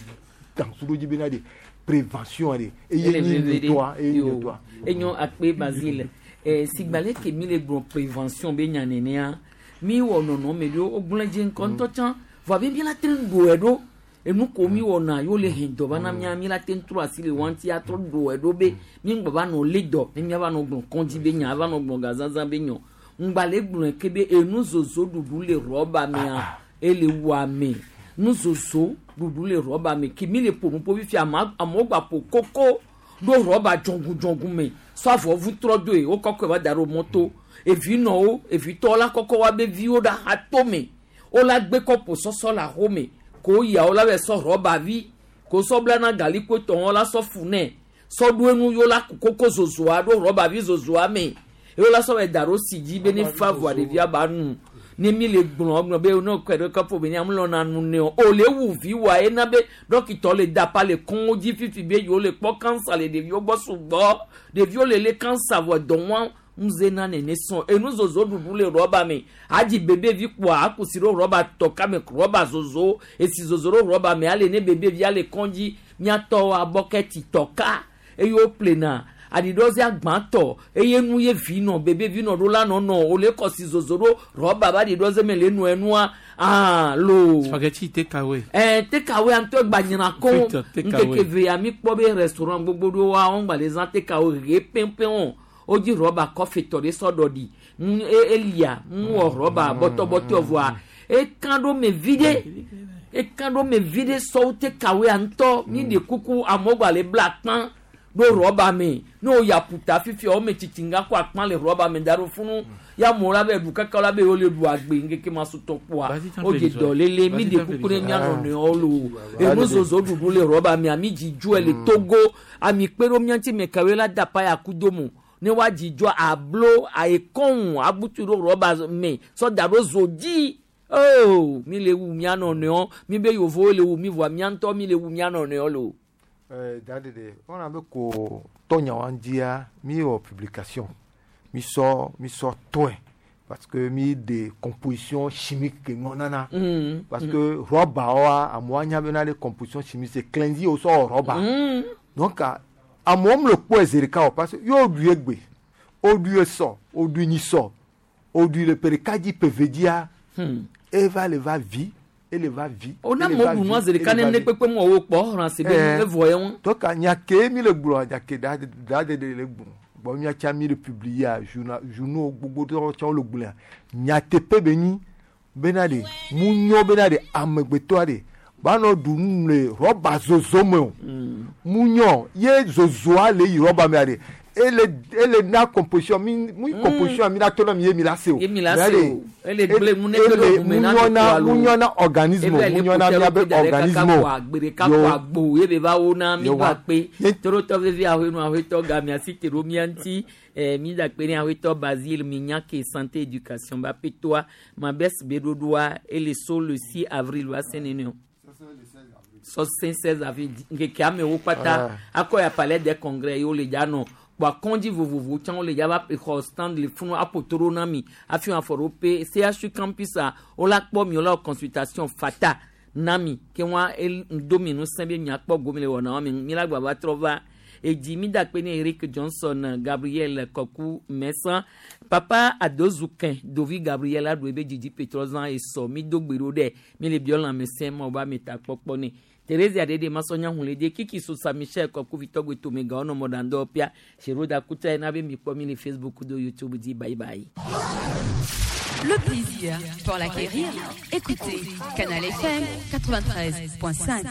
dansu ɖo dzi bena de prévention de eye nyi nyuitɔa eye nyi nyuitɔa. Enyo akpe Basile eh, sigbale ke mi le gblɔ prévention be nya nenea mi wɔ nɔnɔme ɖewo wogblɔ dzi ŋkɔ ŋutɔ tsã vɔ abe mi la te ŋu ɖoe ɖo enu ko mi wɔna yewo le hɛn dɔ va na mia mi la te ŋu trɔ asi le wa ŋuti atrɔ ɖoe ɖo be mi ŋgbɔ va nɔ lé dɔ ne mia va nɔ gblɔ kɔndzi be nya ava nɔ gblɔ gazazã be nyɔ ŋgba le gblɔe ke be enu zozo ɖuɖu le rɔba mea ele wu ame nu zozo ɖuɖu le rɔba me ke mi le ƒo nu ƒo fifia ama amewo gba ƒo koko ɖo rɔba dzɔngu me sɔ avɔvu trɔ doe wo kɔkɔe va da ɖo mɔto evi nɔwo evitɔwo la kɔkɔ wa be viwo ɖe ato me wo la gbe kɔpo sɔsɔ le axome ko yia wo la bɛ sɔ rɔba vi ko sɔ bla na gali ko tɔn la sɔ fu nɛ sɔ ɖo enu yewo la koko zozoa ɖo rɔba vi zozoa me yewo la sɔ bɛ da ɖo si dzi be ne fa voa ɖevia ba nu ne mi le gblɔ gblɔ be ne kɔe ɖe kɔpo be ne amelɔna nu ne o o le wu vi wa ena be dɔkitɔ le da pa le kɔn dzi fifi be yewo le kpɔ kansa le ɖeviwo gbɔ sugbɔ ɖeviwo le le kansa vɔ dɔ wa ŋuze na nene sɔn enu zozo ɖuɖu le rɔba me adzi bebe vi kpoa akusi ɖo rɔba tɔka me rɔba zozo esi zozo ɖo rɔba me ale ne bebe vi ale kɔn dzi miatɔ abɔkɛti tɔka eye wo plena aɖiɖɔzi agbãtɔ eye nu ye vi nɔ bebe vi nɔ ɖo la nɔnɔ wòle kɔsi zozo ɖo rɔba ba aɖiɖɔzi me le nu enua aa lo. Spaghetti takeaway. Ɛɛ takeaway ŋutɔ gba nyina kɔn nkeke ve ya mi kpɔ be restaurant gbogbo ɖewo wa wɔn gba le zã takeaway ɣe pɛnpɛn o wodzi rɔba kɔfi tɔ ɖe sɔ ɖɔɖi ŋu elia ŋu wɔ rɔba bɔtɔbɔtɔ vɔa eka ɖo me vi ɖe eka ɖo me vi ɖe sɔwo takeaway ŋutɔ mi ɖe kuku amewo gba le bla kpã ɖo rɔba me ne wo ya ƒuta fifia wo me tsitsi nga kɔ akpã le rɔba me da ɖo funu ya amewo la be ɖu kaka la be yewo le ɖu agbe ŋkeke ma sotɔ kpoa wo dze dɔlele mi ɖe kuku ne mia nɔnɔewo lo enu zozo ɖuɖu le rɔba mea mi dzidzɔe le Togo ami kpe ɖo mia ŋuti me kawoe la da pa ya kudo mo ne wa dzidzɔ ablo ayekɔn abutu ɖo rɔba me sɔ da ɖo zo dzi oh mi le wu mia nɔnɔewo mi be yevowo le wu mi voa mia ŋutɔ mi le wu mia nɔnɔewo lo. Euh, dadede on a ko tonya wandia mi o publication mi so mi so toin parce que mi des compositions chimiques que non nana mm, parce mm. que roba wa amoanya bena les compositions chimiques c'est cleansi au so roba mm. donc a amom le po ezerika parce que yo du egbe o du so o du ni so o du le perikadi pevedia hmm. eva le va vie ele va vi. O na mo bu nua zere kane ne kpekpe mo wo kpɔ xlã si be evɔ ye ŋu. Donc nyake mi le gblɔ nyake da da de de le gblɔ bɔn miatsa mi le publier journal journaux gbogbo tɔwo tsã le gblɔa nyateƒe be nyi bena de mu nyɔ bena de amegbetɔa de banɔ du nu le rɔba zozo me o mu nyɔ ye zozoa le yi rɔba mea de ele ele na composition mi mi composition mi la tɔnɔ mi ye mi la se o ye mi la se o ele gble mu ne gble mu na mu nyɔna mu nyɔna organisme mu nyɔna miabe organisme gbereka kɔ agbo ye be va wo na mi ba kpe torotɔ vevi ahoenu ahoetɔ ga mia si te ɖo mia ŋuti eh, mi da kpe ne ahoetɔ Basile mi nya ke santé éducation ba pe toa ma bɛ si be ɖoɖoa ele so le six avril wa se nene o sɔsẽ seize avril nkeke amewo kpata akɔ ya palais des congrès ye wo le dza nɔ kpɔ akɔndzi vovovo tsã wo le dza va xɔ stand le funu aƒo na mi hafi wɔn afɔ ɖo pe C H U campus a wo la kpɔ mi wo la wɔ consultation fata na mi ke wɔn do mi ŋusẽ be miakpɔ gome le wɔna wa mi mi la gba va trɔ va edzi mi da kpe ne Eric Johnson Gabriel Kɔku Mɛsan papa Adozukin Dovi Gabriel aɖo ebe dzidzi petrɔzã esɔ mi do gbe ɖo ɖe mi le biɔ lãmesẽ ma wo ba mi ta kpɔkpɔ ne Thérésia Dede Masonya Hunlede Kiki Sosa Michel Kɔku Vitɔgbe Tomega ɔnɔ mɔɖandɔ pia Seroda Kuta ena be mi kpɔ mi le Facebook do YouTube dzi bye bye. Le plaisir pour l'acquérir, écoutez Canal F M quatre-vingt-treize point cinq.